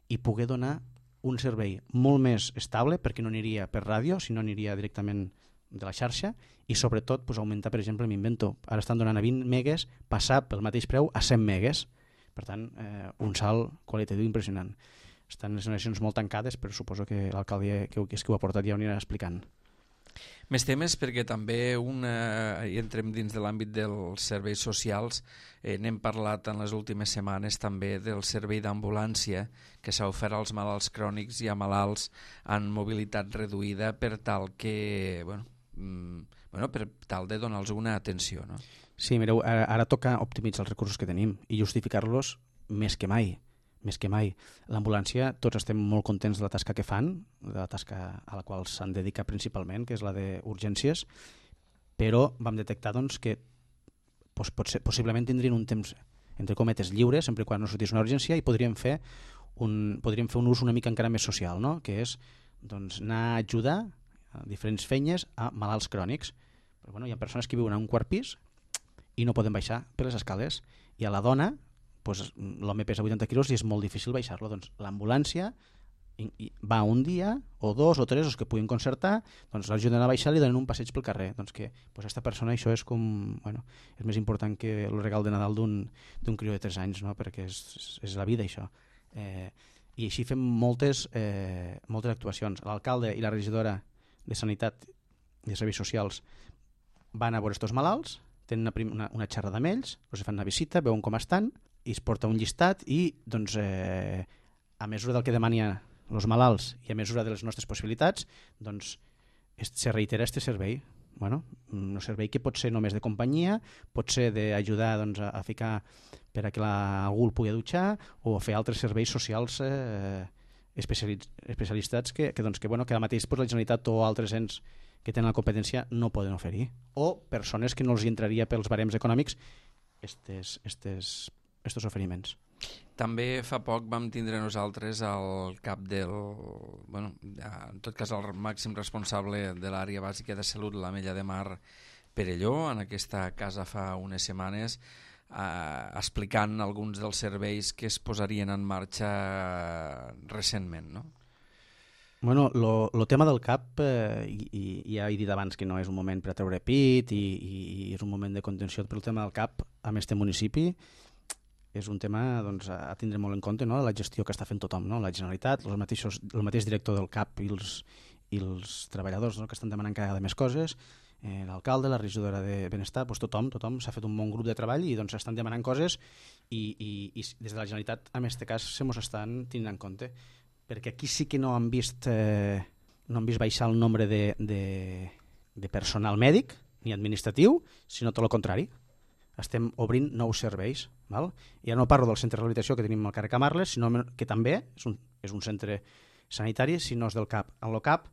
i poder donar un servei molt més estable, perquè no aniria per ràdio, sinó aniria directament de la xarxa, i sobretot augmentar, per exemple, m'invento, ara estan donant a 20 megues, passar pel mateix preu a 100 megues. Per tant, un salt qualitatiu impressionant. Estan les generacions molt tancades, però suposo que l'alcalde que ho ha portat ja ho anirà explicant. Més temes, perquè també entrem dins de l'àmbit dels serveis socials. N'hem parlat en les últimes setmanes també del servei d'ambulància que s'ha ofert als malalts crònics i a malalts amb mobilitat reduïda per tal que, per tal de donar-los una atenció, no? Sí, mireu, ara toca optimitzar els recursos que tenim i justificar-los més que mai. L'ambulància, tots estem molt contents de la tasca que fan, de la tasca a la qual s'han dedicat principalment, que és la d'urgències, però vam detectar que possiblement tindrien un temps, entre cometes, lliure, sempre quan no sortís una urgència, i podríem fer un ús una mica encara més social, no? Que és anar a ajudar a diferents feines a malalts crònics. Però, hi ha persones que viuen a un quart pis i no poden baixar per les escales, i a la dona l'home pesa 80 quilos i és molt difícil baixar-lo. Doncs l'ambulància va un dia o 2 o 3, els que puguin concertar, l'ajuden a baixar i li donen un passeig pel carrer. Doncs que aquesta persona, això és com, és més important que el regal de Nadal d'un crió de 3 anys, no? Perquè és la vida, això. I així fem moltes actuacions. L'alcalde i la regidora de Sanitat i de Serveis Socials van a veure estos malalts, tenen una xerrada amb ells, els fan una visita, veuen com estan, i es porta un llistat i, a mesura del que demanen els malalts i a mesura de les nostres possibilitats, se reitera aquest servei. Un servei que pot ser només de companyia, pot ser d'ajudar a ficar per a que algú el pugui dutxar o fer altres serveis socials especialitzats que ara mateix la Generalitat o altres ens que tenen la competència no poden oferir, o persones que no els entraria pels barems econòmics estos oferiments. També fa poc vam tindre nosaltres el cap en tot cas el màxim responsable de l'àrea bàsica de salut, l'Ametlla de Mar Perelló, en aquesta casa fa unes setmanes, explicant alguns dels serveis que es posarien en marxa recentment, no? El tema del CAP, ja he dit abans que no és un moment per a treure pit i és un moment de contenció, però el tema del CAP amb este municipi és un tema a tindre molt en compte, no? La gestió que està fent tothom, no? La Generalitat, el mateix director del CAP i els treballadors, no? Que estan demanant cada vegada més coses, l'alcalde, la regidora de Benestar, tothom s'ha fet un bon grup de treball i estan demanant coses i des de la Generalitat, en aquest cas, se mos estan tenint en compte, perquè aquí sí que no han vist baixar el nombre de personal mèdic ni administratiu, sinó tot el contrari. Estem obrint nous serveis. Ja no parlo del centre de rehabilitació que tenim al carrer Camarles, sinó que també és un centre sanitari, sinó és del CAP. En el CAP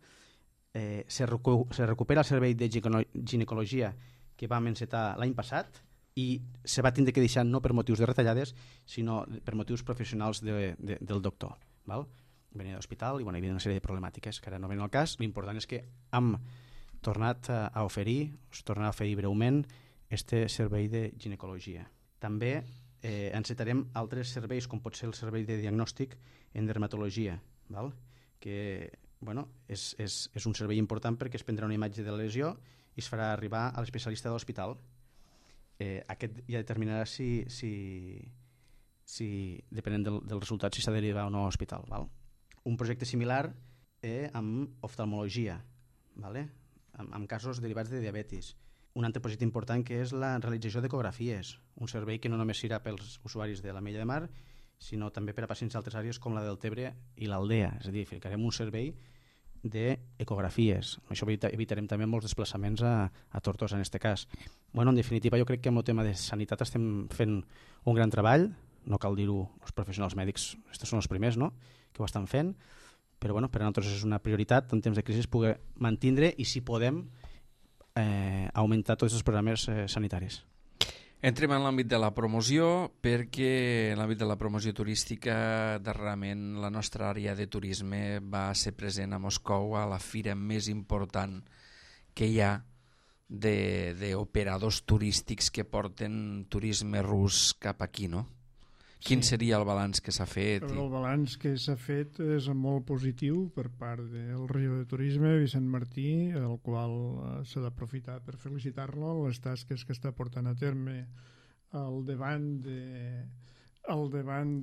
se recupera el servei de ginecologia que vam encetar l'any passat i se va tindre que deixar no per motius de retallades, sinó per motius professionals del doctor. Venia d'hospital i hi havia una sèrie de problemàtiques que ara no venen al cas. L'important és que hem tornat a oferir breument este servei de ginecologia. També encetarem altres serveis, com pot ser el servei de diagnòstic en dermatologia, que és un servei important perquè es prendrà una imatge de la lesió i es farà arribar a l'especialista de l'hospital aquest ja determinarà si depenent del resultat, si s'ha de derivar o no a l'hospital. Val? Un projecte similar amb oftalmologia, vale? Amb casos derivats de diabetis. Un altre projecte important que és la realització d'ecografies, un servei que no només serà pels usuaris de l'Ametlla de Mar, sinó també per a pacients d'altres àrees com la del Tebre i l'Aldea. És a dir, ficarem un servei d'ecografies. Amb això evitarem també molts desplaçaments a Tortosa en aquest cas. Bueno, en definitiva, jo crec que amb el tema de sanitat estem fent un gran treball, no cal dir-ho, els professionals mèdics, aquests són els primers, no?, que ho estan fent, però bueno, per a nosaltres és una prioritat en temps de crisi poder mantindre i, si podem, augmentar tots els programes sanitaris. Entrem en l'àmbit de la promoció, perquè en l'àmbit de la promoció turística darrerament la nostra àrea de turisme va ser present a Moscou a la fira més important que hi ha d'operadors turístics que porten turisme rus cap aquí, no? Quin seria el balanç que s'ha fet? El balanç que s'ha fet és molt positiu per part del regidor de Turisme, Vicent Martí, el qual s'ha d'aprofitar per felicitar-lo en les tasques que està portant a terme al davant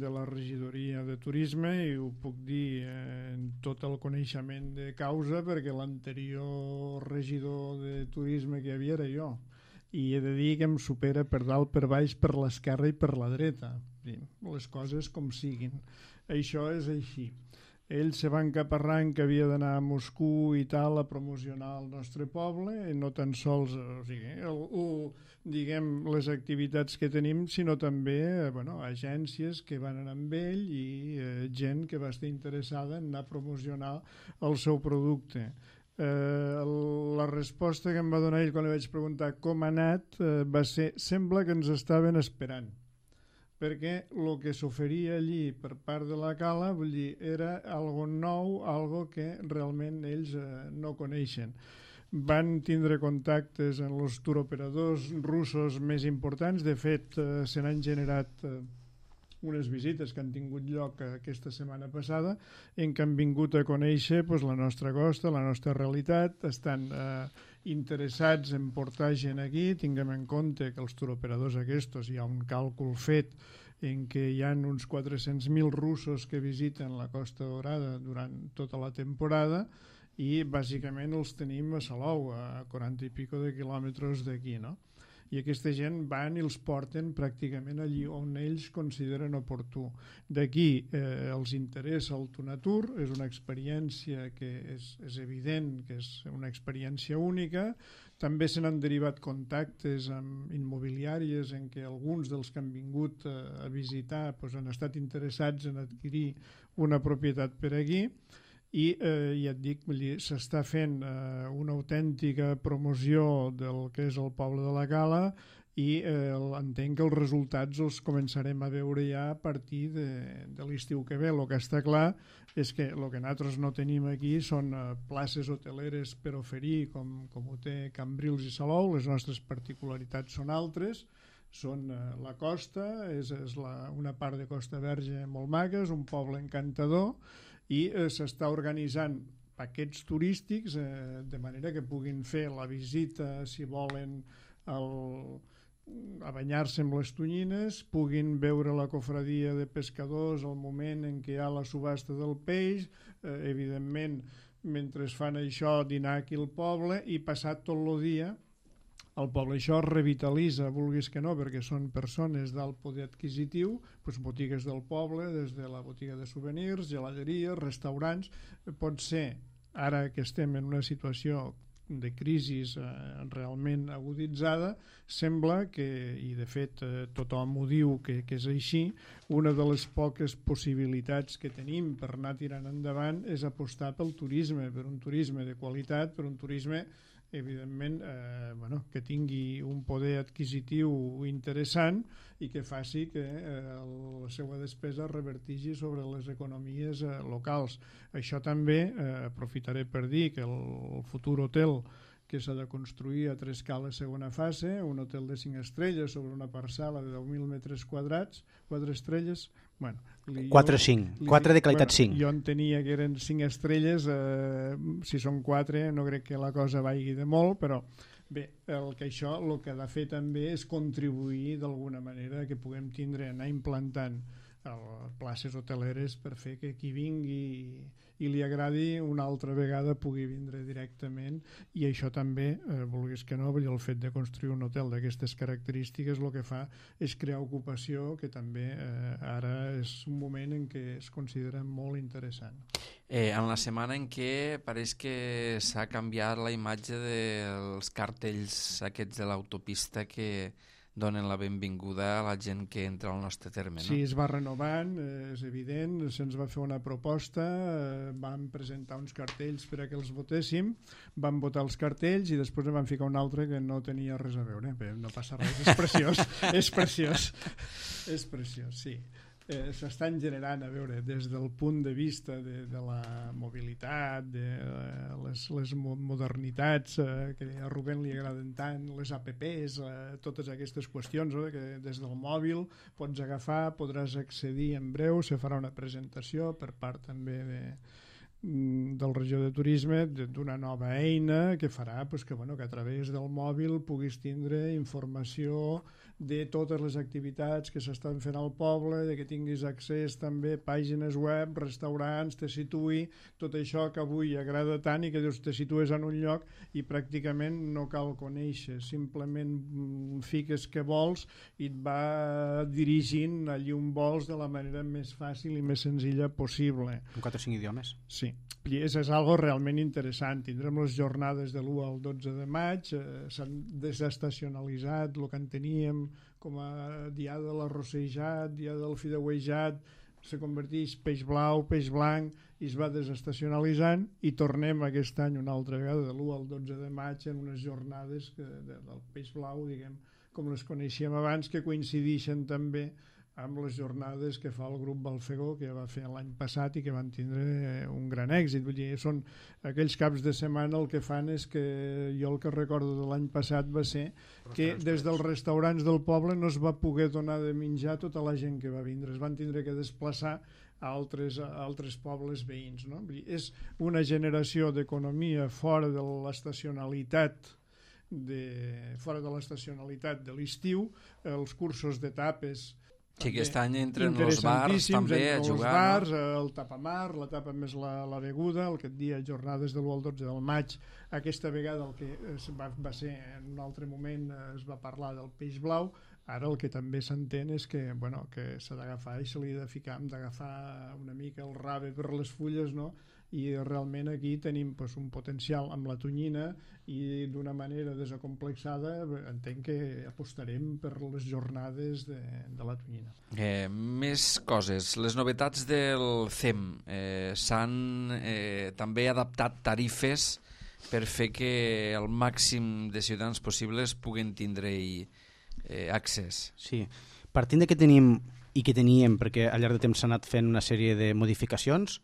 de la regidoria de Turisme, i ho puc dir en tot el coneixement de causa perquè l'anterior regidor de Turisme que hi havia era jo, i he de dir que em supera per dalt, per baix, per l'esquerra i per la dreta. Les coses com siguin. Això és així. Ell se va encaparrant que havia d'anar a Moscou i tal a promocionar el nostre poble, i no tan sols diguem les activitats que tenim, sinó també agències que van anar amb ell i gent que va estar interessada en anar a promocionar el seu producte. La resposta que em va donar ell quan li vaig preguntar com ha anat va ser: sembla que ens estaven esperant, perquè el que s'oferia allí per part de la Cala, vull dir, era algo nou, algo que realment ells no coneixen. Van tindre contactes amb els turoperadors russos més importants. De fet, se n'han generat unes visites que han tingut lloc aquesta setmana passada, en què han vingut a conèixer la nostra costa, la nostra realitat. Estan interessats en portar gent aquí. Tinguem en compte que els turoperadors aquests, hi ha un càlcul fet en què hi ha uns 400.000 russos que visiten la Costa Daurada durant tota la temporada, i bàsicament els tenim a Salou, a 40 i pico de quilòmetres d'aquí, no? I aquesta gent van i els porten pràcticament allí on ells consideren oportú. D'aquí els interessa el Tunatur, és una experiència que és evident que és una experiència única. També se n'han derivat contactes amb immobiliàries en què alguns dels que han vingut a visitar han estat interessats en adquirir una propietat per aquí. I ja et dic, s'està fent una autèntica promoció del que és el poble de la Cala, i entenc que els resultats els començarem a veure ja a partir de l'estiu que ve. El que està clar és que el que nosaltres no tenim aquí són places hoteleres per oferir com ho té Cambrils i Salou. Les nostres particularitats són altres, són la costa, és una part de Costa Verge molt maca, és un poble encantador, i s'està organitzant paquets turístics de manera que puguin fer la visita, si volen, a banyar-se amb les tonyines, puguin veure la cofradia de pescadors al moment en què hi ha la subhasta del peix, evidentment, mentre fan això, dinar aquí al poble i passar tot el dia al poble. Això revitalitza, vulguis que no, perquè són persones d'alt poder adquisitiu, botigues del poble, des de la botiga de souvenirs, geladeries, restaurants. Pot ser, ara que estem en una situació de crisi realment aguditzada, sembla que, i de fet tothom ho diu que és així, una de les poques possibilitats que tenim per anar tirant endavant és apostar pel turisme, per un turisme de qualitat, per un turisme evidentment que tingui un poder adquisitiu interessant i que faci que la seva despesa revertigi sobre les economies locals. Això també aprofitaré per dir que el futur hotel que s'ha de construir a Trescala segona fase, un hotel de 5 estrelles sobre una parcel·la de 10.000 metres quadrats, 4 estrelles... 4-5, 4 de qualitat 5. Jo entenia que eren 5 estrelles, si són 4 no crec que la cosa vagi de molt, però Bé, el que ha de fer també és contribuir d'alguna manera que puguem anar implantant places hoteleres per fer que qui vingui i li agradi una altra vegada pugui vindre directament, i això també, vulguis que no, el fet de construir un hotel d'aquestes característiques el que fa és crear ocupació, que també ara és un moment en què es considera molt interessant. En la setmana en què pareix que s'ha canviat la imatge dels cartells aquests de l'autopista que donen la benvinguda a la gent que entra al nostre terme, no? Sí, es va renovant, és evident, se'ns va fer una proposta, vam presentar uns cartells per a que els votéssim, vam votar els cartells i després en vam ficar un altre que no tenia res a veure, però no passa res, és preciós, és preciós, sí. S'estan generant, a veure, des del punt de vista de la mobilitat, de les modernitats que a Rubén li agraden tant, les apps, totes aquestes qüestions, que des del mòbil pots agafar, podràs accedir en breu, se farà una presentació per part també del regió de turisme d'una nova eina que farà que a través del mòbil puguis tindre informació de totes les activitats que s'estan fent al poble, de que tinguis accés també a pàgines web, restaurants, te situï, tot això que avui agrada tant i que te situes en un lloc i pràcticament no cal conèixer, simplement fiques què vols i et va dirigint allí on vols de la manera més fàcil i més senzilla possible. En 4 o 5 idiomes. Sí, i és algo realment interessant. Tindrem les jornades de l'1 al 12 de maig, s'han desestacionalitzat el que en teníem com a dia de l'arrossejat, dia del fideuejat, se converteix peix blau, peix blanc, i es va desestacionalitzant i tornem aquest any una altra vegada de l'1 al 12 de maig en unes jornades del peix blau, diguem, com les coneixíem abans, que coincideixen també amb les jornades que fa el grup Balfegó, que va fer l'any passat i que van tindre un gran èxit. Vull dir, són aquells caps de setmana, el que fan és que jo el que recordo de l'any passat va ser que des dels restaurants del poble no es va poder donar de menjar a tota la gent que va vindre, es van tindre que desplaçar a altres pobles veïns, no? Vull dir, és una generació d'economia fora de l'estacionalitat fora de l'estacionalitat de l'estiu, els cursos d'etapes. Sí, aquest any entren els bars també a jugar. Els bars, el tapamar, la tapa més la beguda, aquest dia, jornades de l'1 al 12 del maig. Aquesta vegada el que va ser, en un altre moment es va parlar del peix blau. Ara el que també s'entén és que s'ha d'agafar i se li ha de ficar, hem d'agafar una mica el rave per les fulles, no? I realment aquí tenim un potencial amb la tonyina i d'una manera desacomplexada entenc que apostarem per les jornades de la tonyina. Més coses. Les novetats del CEM s'han també adaptat tarifes per fer que el màxim de ciutadans possibles puguen tindre-hi accés. Sí, partint de que tenim i que teníem, perquè al llarg de temps s'ha anat fent una sèrie de modificacions,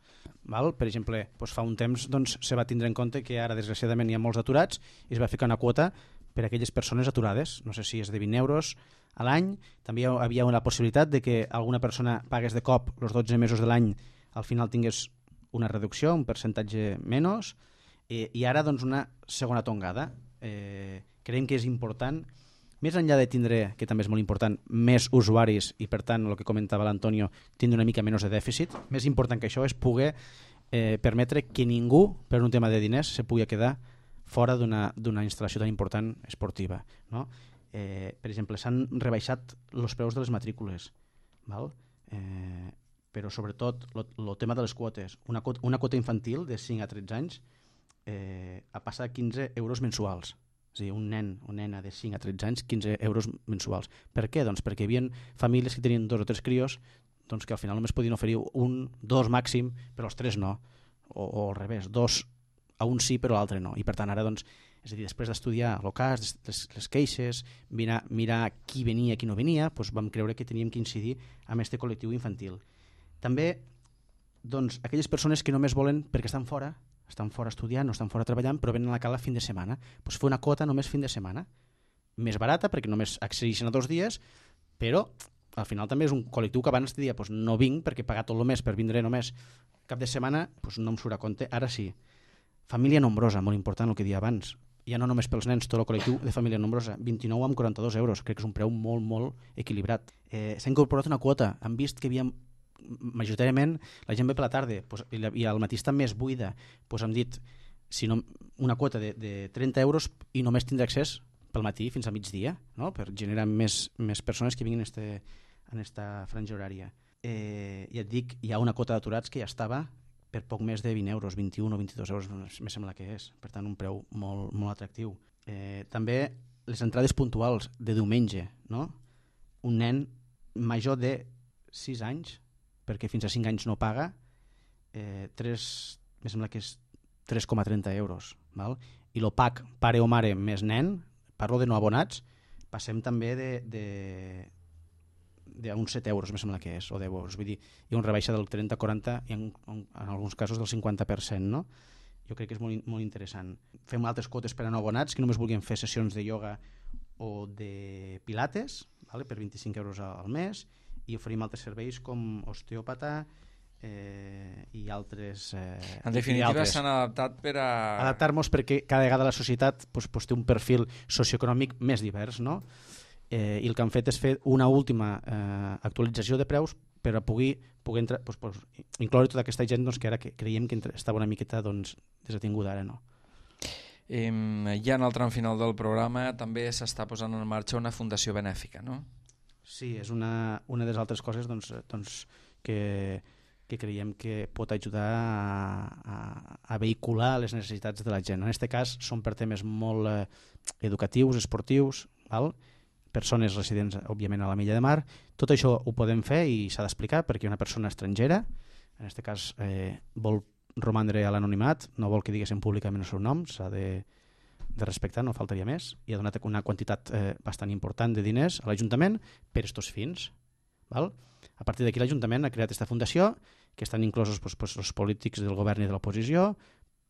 val? Per exemple, fa un temps se va tindre en compte que ara desgraciadament hi ha molts aturats i es va ficar una quota per a aquelles persones aturades, no sé si és de 20 euros a l'any. També hi havia la possibilitat de que alguna persona pagués de cop els 12 mesos de l'any, al final tingués una reducció, un percentatge menys, i ara una segona tongada. Creiem que és important, més enllà de tindre, que també és molt important, més usuaris i per tant el que comentava l'Antonio, tindre una mica menys de dèficit, més important que això és poder permetre que ningú per un tema de diners se pugui quedar fora d'una instal·lació tan important esportiva, no? Per exemple, s'han rebaixat els preus de les matrícules, val? Però sobretot el tema de les quotes, una quota infantil de 5 a 13 anys ha passat a 15 euros mensuals. És a dir, un nen o nena de 5 a 13 anys, 15 euros mensuals. Per què? Doncs perquè hi havia famílies que tenien 2 o 3 crios que al final només podien oferir 1, 2 màxim, però els 3 no. O al revés, 2 a un sí però l'altre no. I per tant ara, és a dir, després d'estudiar el cas, les queixes, mirar qui venia i qui no venia, vam creure que teníem que incidir en aquest col·lectiu infantil. També, aquelles persones que només volen, perquè estan fora estudiant, no estan fora treballant, però venen a la cala fin de setmana, fer una quota només fin de setmana, més barata perquè només accedeixen a 2 dies, però al final també és un col·lectiu que abans deia no vinc perquè pagar tot el mes per vindre només cap de setmana no em surt a compte, ara sí. Família nombrosa, molt important el que deia abans, ja no només pels nens, tot el col·lectiu de família nombrosa, 29,42 euros, crec que és un preu molt, molt equilibrat. S'ha incorporat una quota, han vist que havia majoritàriament la gent ve per la tarda i al matí està més buida, hem dit si no, una quota de 30 euros i només tindrà accés pel matí fins a migdia, no? Per generar més persones que vinguin en esta franja horària. Ja et dic, hi ha una quota d'aturats que ja estava per poc més de 20 euros, 21 o 22 euros me sembla que és, per tant un preu molt, molt atractiu. També les entrades puntuals de diumenge, no? Un nen major de 6 anys, perquè fins a 5 anys no paga, me sembla que és 3,30 euros. Val? I el PAC pare o mare més nen, parlo de no abonats, passem també d'uns 7 euros, me sembla que és, o 10 euros. Vull dir, hi ha una rebaixa del 30-40 i en alguns casos del 50%, no? Jo crec que és molt, molt interessant. Fem altres quotes per a no abonats que només vulguin fer sessions de ioga o de pilates, vale? Per 25 euros al mes, i oferim altres serveis com osteòpata i altres... En definitiva s'han adaptat per a... Adaptar-nos perquè cada vegada la societat té un perfil socioeconòmic més divers, no? I el que han fet és fer una última actualització de preus per a poder incloure tota aquesta gent que ara creiem que estava una miqueta desatinguda, ara no. Ja en el tram final del programa també s'està posant en marxa una fundació benèfica, no? Sí, és una de les altres coses que creiem que pot ajudar a vehicular les necessitats de la gent. En aquest cas són per temes molt educatius, esportius, val? Persones residents, òbviament, a la Milla de Mar. Tot això ho podem fer i s'ha d'explicar perquè una persona estrangera, en aquest cas vol romandre a l'anonimat, no vol que diguéssim públicament el seu nom, s'ha de respectar, no faltaria més, i ha donat una quantitat bastant important de diners a l'Ajuntament per estos fins. Val? A partir d'aquí l'Ajuntament ha creat aquesta fundació, que estan inclosos els polítics del govern i de l'oposició,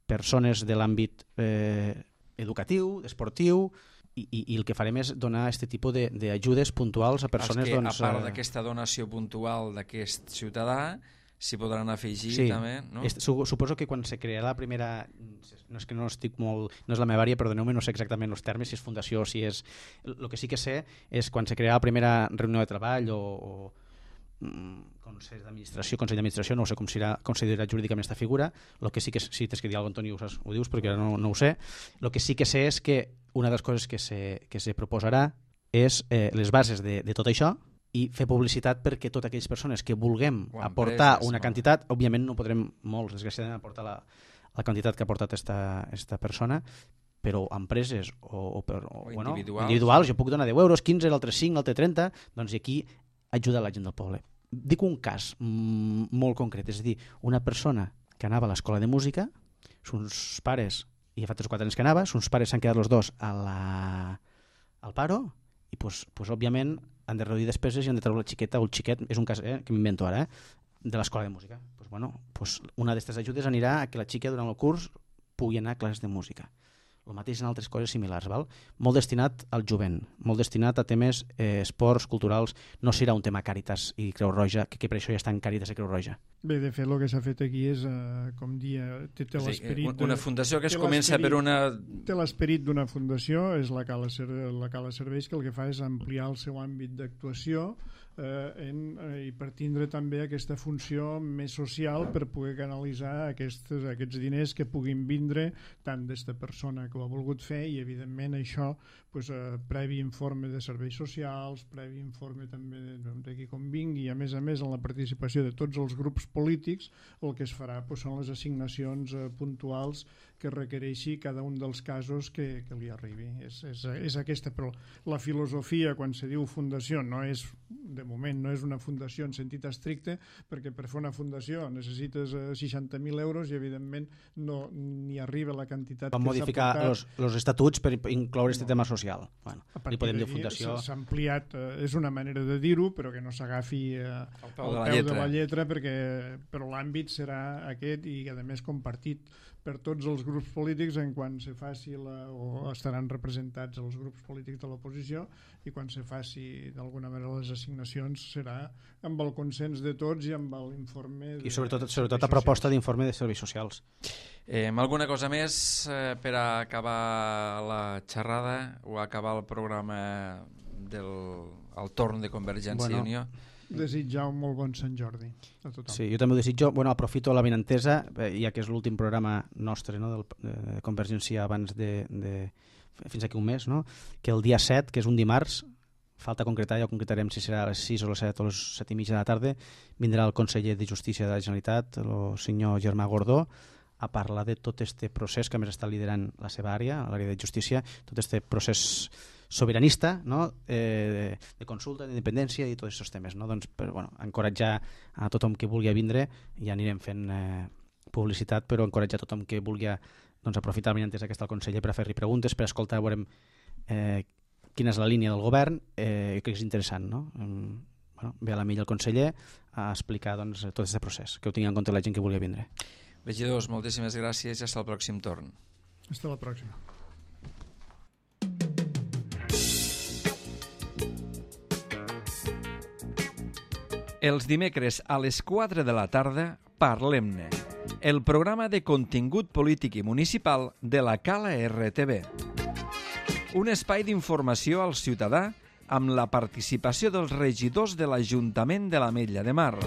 persones de l'àmbit educatiu, esportiu, i el que farem és donar aquest tipus d'ajudes puntuals a persones... A part d'aquesta donació puntual d'aquest ciutadà, s'hi podran afegir també, no? Suposo que quan se crearà la primera... No és que no estic molt... No és la meva àrea, perdoneu-me, no sé exactament els termes, si és fundació o si és... El que sí que sé és quan se crearà la primera reunió de treball o Consell d'Administració, no sé com serà considerat jurídicament aquesta figura. El que sí que, si tens que dir alguna cosa, Antoni, ho dius perquè no ho sé. El que sí que sé és que una de les coses que se proposarà és les bases de tot això i fer publicitat perquè totes aquelles persones que vulguem aportar una quantitat, òbviament no podrem molts, desgraciadament, aportar la quantitat que ha aportat esta persona, però empreses o individuals, jo puc donar 10 euros, 15, l'altre 5, l'altre 30, doncs aquí ajuda la gent del poble. Dic un cas molt concret, és a dir, una persona que anava a l'escola de música, sos pares, i ja fa 3 o 4 anys que anava, sos pares s'han quedat els dos al paro, i òbviament han de reduir despeses i han de treure la xiqueta o el xiquet, és un cas que m'invento ara, de l'escola de música. Una d'aquestes ajudes anirà a que la xica durant el curs pugui anar a classes de música. El mateix en altres coses similars, val? Molt destinat al jovent, molt destinat a temes esports, culturals. No serà un tema Càritas i Creu Roja, que per això ja estan Càritas i Creu Roja. Bé, de fet, el que s'ha fet aquí és, com dia, té l'esperit... Una fundació que es comença per una... Té l'esperit d'una fundació, és la Cala Serveis, que el que fa és ampliar el seu àmbit d'actuació i per tindre també aquesta funció més social per poder canalitzar aquests diners que puguin vindre tant d'esta persona que ho ha volgut fer i evidentment això previ informe de serveis socials, previ informe també de qui convingui i a més en la participació de tots els grups polítics el que es farà són les assignacions puntuals que requereixi cada un dels casos que li arribi. És aquesta, però la filosofia quan se diu fundació no és, de moment, no és una fundació en sentit estricte, perquè per fer una fundació necessites 60.000 euros i evidentment no ni arriba la quantitat que s'ha modificar els estatuts per incloure aquest tema social. Bueno, li podem dir fundació. S'ha ampliat, és una manera de dir-ho, però que no s'agafi al peu de la lletra, però l'àmbit serà aquest i a més compartit per tots els grups polítics en quan se faci o estaran representats els grups polítics de l'oposició, i quan se faci d'alguna manera les assignacions serà amb el consens de tots i amb l'informe i sobretot a proposta d'informe de serveis socials. Alguna cosa més per a acabar la xerrada o acabar el programa del torn de Convergència i Unió? Desitjar un molt bon Sant Jordi a tothom. Sí, jo també ho desitjo. Aprofito la benentesa, ja que és l'últim programa nostre, no, de Convergència abans fins aquí un mes, no? Que el dia 7, que és un dimarts, falta concretar, ja ho concretarem si serà a les 6 o les 7 o les 7:30 de la tarda, vindrà el conseller de Justícia de la Generalitat, el senyor Germà Gordó, a parlar de tot este procés que a més està liderant la seva àrea, l'àrea de justícia, tot este procés sobiranista, no? De consulta, d'independència i tots aquests temes, no? Doncs, encoratjar a tothom que vulgui vindre, ja anirem fent publicitat, però encoratjar a tothom que vulgui aprofitar la benentesa que està el conseller per fer-li preguntes, per escoltar, veurem quina és la línia del govern, crec que és interessant, no? Ve a la milla el conseller a explicar tot aquest procés, que ho tingui en compte la gent que vulgui vindre. Regidors, moltíssimes gràcies i fins al pròxim torn. Fins la pròxima. Els dimecres a les 4 de la tarda, Parlem-ne, el programa de contingut polític i municipal de la Cala RTV. Un espai d'informació al ciutadà amb la participació dels regidors de l'Ajuntament de l'Ametlla de Mar.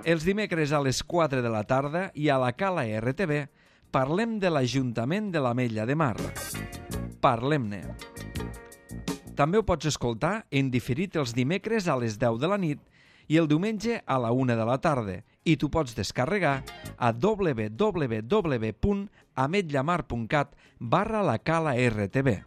Els dimecres a les 4 de la tarda i a la Cala RTV parlem de l'Ajuntament de l'Ametlla de Mar. Parlem-ne. També ho pots escoltar en diferit els dimecres a les 10 de la nit i el diumenge a la 1 de la tarda, i tu pots descarregar a www.ametllamar.cat/la Cala RTV.